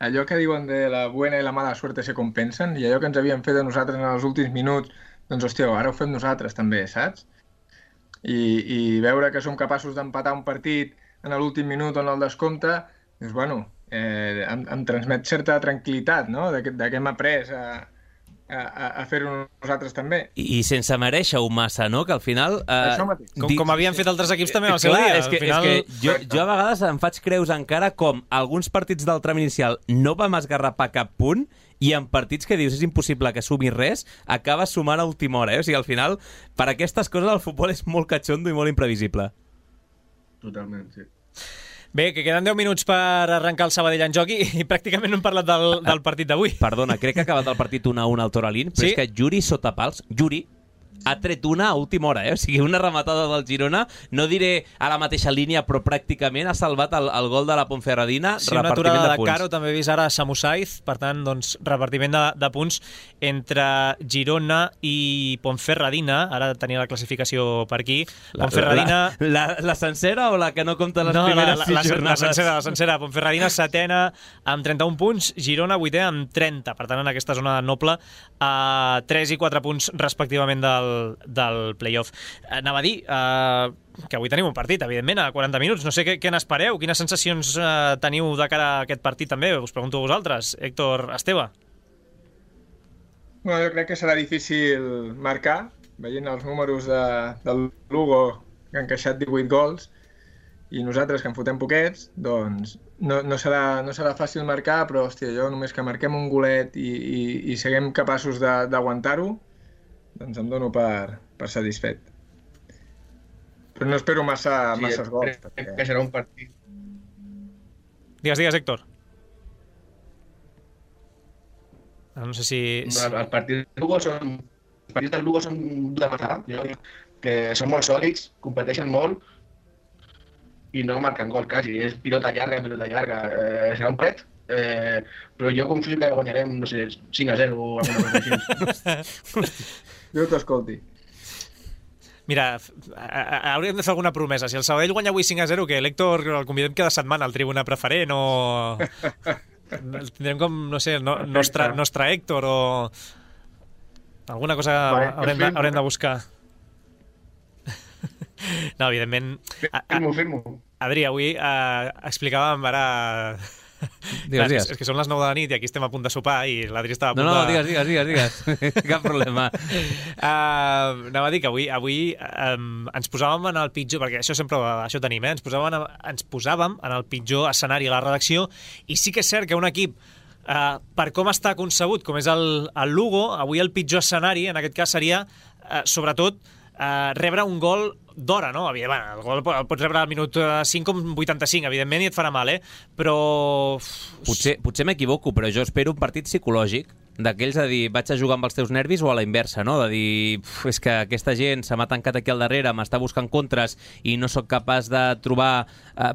allò que diuen de la buena i la mala suerte se compensen, i allò que ens havien fet a nosaltres en els últims minuts, doncs hòstia, ara ho fem nosaltres també, saps? I veure que som capaços d'empatar un partit en l'últim minut o en el descompte, doncs bueno, em transmet certa tranquil·litat, no?, de que hem après a fer-ho nosaltres també. I sense merèixer-ho massa, no?, que al final... Com havien fet altres equips també al seu dia. És que jo a vegades em faig creus encara com alguns partits del tram inicial no vam esgarrapar cap punt i en partits que dius és impossible que sumi res, acabes sumant a última hora. O sigui, al final, per aquestes coses el futbol és molt catxondo i molt imprevisible. Totalment, sí. Bé, que queden 10 minuts per arrencar el Sabadell en joc i pràcticament no hem parlat del partit d'avui. Perdona, crec que ha acabat el partit 1-1 al Toralín, però és que Yuri Sotapals, ha tret una a última hora, O sigui, una rematada del Girona, no diré a la mateixa línia, però pràcticament ha salvat el gol de la Ponferradina, sí, una aturada de Caro, també he vist ara Samu Saiz, per tant, doncs, repartiment de punts entre Girona i Ponferradina, ara tenia la classificació per aquí. Ponferradina... La sencera o la que no compta les primeres 6 jornades? La sencera. Ponferradina setena amb 31 punts, Girona vuitè amb 30, per tant, en aquesta zona noble, 3 i 4 punts respectivament del play-off. Anava a dir que avui tenim un partit, evidentment, a 40 minuts. No sé què n'espereu, quines sensacions teniu de cara a aquest partit també. Us pregunto a vosaltres. Héctor, Esteve. Bueno, jo crec que serà difícil marcar, veient els números del Lugo, que han encaixat 18 gols, i nosaltres, que en fotem poquets, doncs no serà fàcil marcar, però hòstia, jo només que marquem un golet i siguem capaços d'aguantar-ho, doncs em dono per satisfet. Però no espero masses gols. Crec que serà un partit. Digues, Héctor. No sé si... Els partits del Lugo són de matar. Jo dic que són molt sòlids, competeixen molt i no marquen gol quasi. És pilota llarga. Serà un pet, però jo confio que guanyarem, no sé, 5-0 o alguna cosa així. Jo t'escolti. Mira, hauríem de fer alguna promesa. Si el Sabadell guanya avui 5-0, que l'Héctor el convidem cada setmana al Tribuna Preferent o... Tindrem com, no sé, nostre Héctor o... Alguna cosa haurem de buscar. No, evidentment... Firmo. Adri, avui explicàvem ara... Digues. És que són les 9 de la nit i aquí estem a punt de sopar i l'Adri estava a punt digues. Cap problema. Anava a dir que avui ens posàvem en el pitjor, perquè això tenim, ens posàvem en el pitjor escenari a la redacció, i sí que és cert que un equip, per com està concebut, com és el Lugo, avui el pitjor escenari, en aquest cas, seria, sobretot, rebre un gol d'hora, no? El gol el pots rebre al minut 5 com 85, evidentment, i et farà mal, però... Potser m'equivoco, però jo espero un partit psicològic, d'aquells de dir, vaig a jugar amb els teus nervis o a la inversa, no? De dir, és que aquesta gent se m'ha tancat aquí al darrere, m'està buscant contres i no sóc capaç de trobar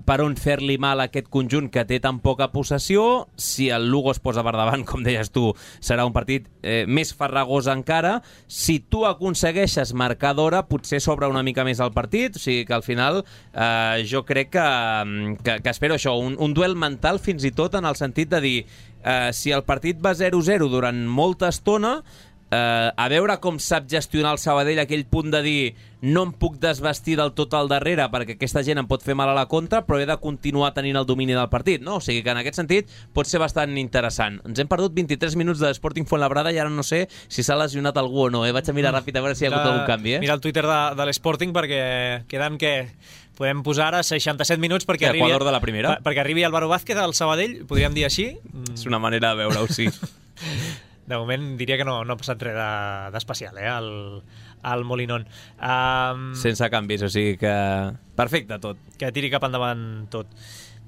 per on fer-li mal a aquest conjunt que té tan poca possessió. Si el Lugo es posa per davant, com deies tu, serà un partit més farragós encara. Si tu aconsegueixes marcar d'hora, potser s'obre una mica més el partit, o sigui que al final jo crec que espero això, un duel mental fins i tot en el sentit de dir, si el partit va 0-0 durant molta estona, a veure com sap gestionar el Sabadell aquell punt de dir no em puc desvestir del tot al darrere perquè aquesta gent em pot fer mal a la contra, però he de continuar tenint el domini del partit, no? O sigui que en aquest sentit pot ser bastant interessant. Ens hem perdut 23 minuts de Sporting Fuenlabrada i ara no sé si s'ha lesionat algú o no, Vaig a mirar ràpid a veure si hi ha hagut algun canvi, Mira el Twitter de l'Sporting perquè queden podem posar ara 67 minuts perquè arribi Álvaro Vázquez al Sabadell, podríem dir així. És una manera de veure-ho, sí. de moment diria que no ha passat res d'especial, al Molinón. Sense canvis, o sigui que perfecte tot. Que tiri cap endavant tot.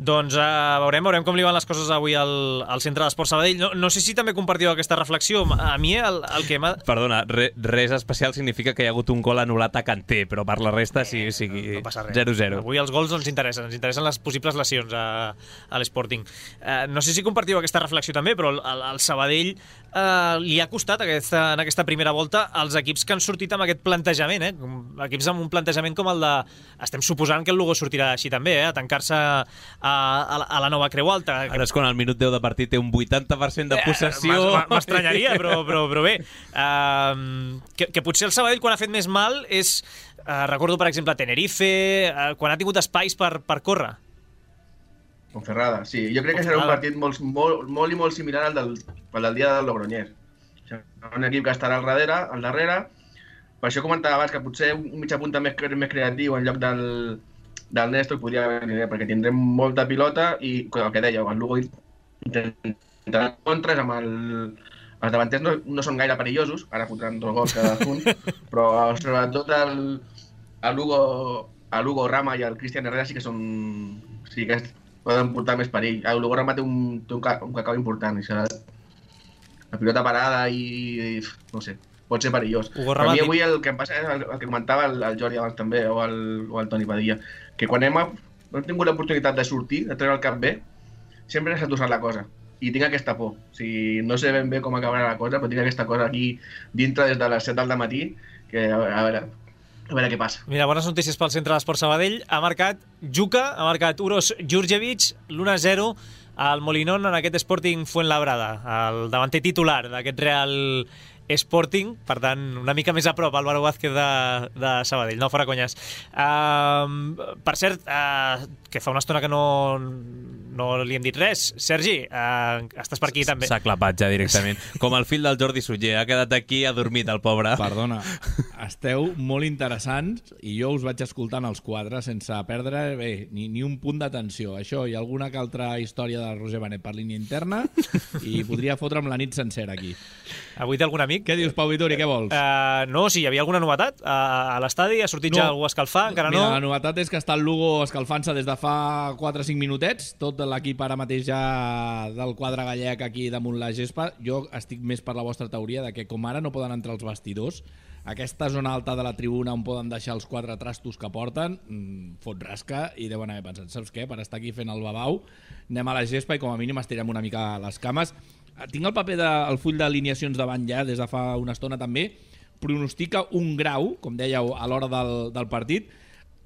Doncs veurem com li van les coses avui al Centre d'Esports Sabadell. No sé si també compartiu aquesta reflexió. A mi el que m'ha... Perdona, res especial significa que hi ha hagut un gol anul·lat a Kanté, però per la resta sí, no passa res. 0-0. Avui els gols no ens interessen les possibles lesions a l'Sporting. No sé si compartiu aquesta reflexió també, però al Sabadell li ha costat en aquesta primera volta els equips que han sortit amb aquest plantejament, equips amb un plantejament com el de... Estem suposant que el Lugo sortirà així també, a tancar-se a la nova Creu Alta. Ara és quan al minut 10 de partit té un 80% de possessió. M'estranyaria, però bé. Que potser el Sabadell, quan ha fet més mal, és... recordo, per exemple, Tenerife, quan ha tingut espais per córrer. Ponferrada, sí. Jo crec que serà un partit molt i molt similar al del dia del Logroñés. Un equip que estarà al darrere. Per això comentava abans que potser un mitjà punta més creatiu en lloc del Néstor podria venir bé, perquè tindrem molta pilota i, el que dèieu, el Lugo intentarà contres amb els davanters no són gaire perillosos, ara fotran 2 gols cadascun, però sobretot el Lugo Rama i el Cristian Herrera sí que poden portar més perill. El Lugo Rama té un cacau important, i serà la pilota parada i no sé, pot ser perillós. Per mi avui el que em passa és el que comentava el Jordi abans també, o el Toni Padilla, que quan hem tingut l'oportunitat de sortir, de treure el cap bé, sempre s'ha torçat la cosa. I tinc aquesta por. O sigui, no sé ben bé com acabarà la cosa, però tinc aquesta cosa aquí dintre des de les 7 del matí, que a veure què passa. Mira, bones notícies pel Centre d'Esports Sabadell. Ha marcat Juka, ha marcat Uros Djurdjevic, l'1-0 al Molinón en aquest Sporting Fuenlabrada, el davanter titular d'aquest Real Sporting, per tant, una mica més a prop Álvaro Vázquez de Sabadell, no fora conyes. Per cert, que fa una estona que no li hem dit res. Sergi, estàs per aquí també. S'ha clapat ja directament. Com el fill del Jordi Sutller, ha quedat aquí, ha dormit el pobre. Perdona, esteu molt interessants i jo us vaig escoltant els 4 sense perdre ni un punt d'atenció. Això i alguna que altra història de Roger Benet per línia interna i podria fotre'm la nit sencera aquí. Avui té algun amic? Què dius, Pau Vitori, què vols? No, si hi havia alguna novetat a l'estadi, ha sortit ja algú a escalfar, encara no? Mira, la novetat és que està el Lugo escalfant-se des de fa 4 o 5 minutets, tot l'equip ara mateix ja del quadre gallec aquí damunt la gespa. Jo estic més per la vostra teoria de que com ara no poden entrar els vestidors, aquesta zona alta de la tribuna on poden deixar els 4 trastos que porten, fot rasca i deuen haver pensat, saps què? Per estar aquí fent el babau, anem a la gespa i com a mínim estirem una mica les cames. Tinc el paper del full d'alineacions davant ja des de fa una estona també. Pronostica 1 grau, com dèieu, a l'hora del partit.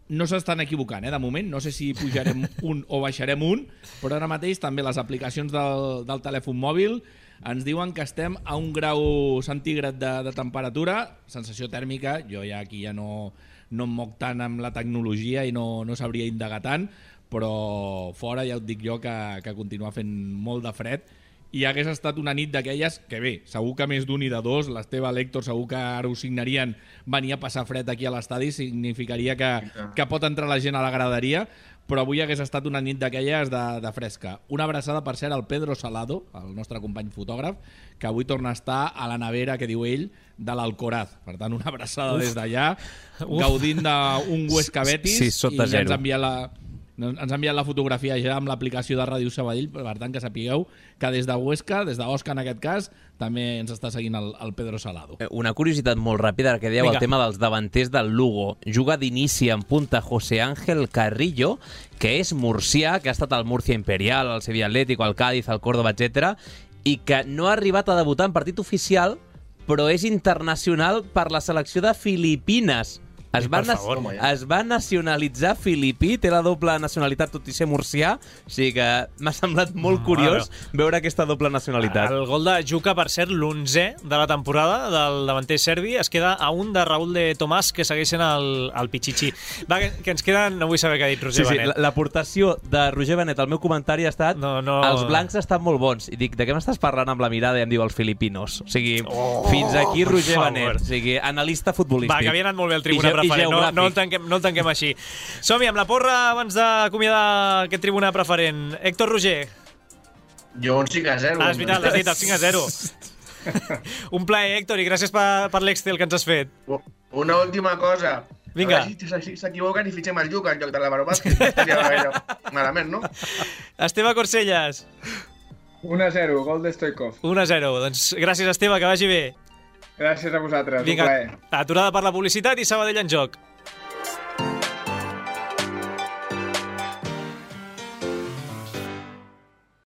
No s'estan equivocant, de moment. No sé si pujarem 1 o baixarem 1, però ara mateix també les aplicacions del telèfon mòbil ens diuen que estem a 1 grau centígrad de temperatura, sensació tèrmica. Jo ja aquí ja no em moc tant amb la tecnologia i no sabria indagar tant, però fora ja et dic jo que continua fent molt de fred i hagués estat una nit d'aquelles que bé, segur que més d'un i de dos, l'Esteve, l'Héctor, segur que ara ho signarien, venir a passar fred aquí a l'estadi, significaria que pot entrar la gent a la graderia, però avui hagués estat una nit d'aquelles de fresca. Una abraçada, per cert, al Pedro Salado, el nostre company fotògraf, que avui torna a estar a la nevera, que diu ell, de l'Alcoraz. Per tant, una abraçada des d'allà, gaudint d'un Huesca Betis, sí, sota i ja zero. Ens ha enviat la fotografia ja amb l'aplicació de Ràdio Sabadell, per tant que sapigueu que des de Huesca, des d'Osca en aquest cas, també ens està seguint el Pedro Salado. Una curiositat molt ràpida, que dèieu el tema dels davanters del Lugo. Juga d'inici en punta José Ángel Carrillo, que és murcià, que ha estat al Murcia Imperial, al Sevilla Atlético, al Cádiz, al Córdoba, etc, i que no ha arribat a debutar en partit oficial, però és internacional per la selecció de Filipines. Es va nacionalitzar filipí, té la doble nacionalitat tot i ser murcià, o sigui que m'ha semblat molt curiós veure aquesta doble nacionalitat. El gol de Juka, per cert, l'11è de la temporada del davanter serbi, es queda a un de Raúl de Tomàs, que segueixen el Pichichi. Va, que ens queden... No vull saber què ha dit Roger Benet. L'aportació de Roger Benet al meu comentari ha estat els blancs estan molt bons. I dic, de què m'estàs parlant amb la mirada? I em diu els filipinos. O sigui, fins aquí Roger Benet. O sigui, analista futbolístic. Va, que havia anat molt bé el Tribuna Preferent. No el tanquem així. Som-hi amb la porra abans d'acomiadar aquest Tribuna Preferent. Héctor Roger. Jo un 5-0. És veritat, l'has dit, el 5-0. Un plaer, Héctor, i gràcies per l'Excel que ens has fet. Una última cosa. Vinga. A veure si s'equivoquen i fitxem el Lluc en lloc de l'Álvaro Vázquez. No estaria gaire malament, no? Esteve Corcellas. 1-0, gol de Stoikov. 1-0. Doncs gràcies, Esteve, que vagi bé. Gràcies a vosaltres, Vinga, un plaer. aturada per la publicitat i Sabadell en joc.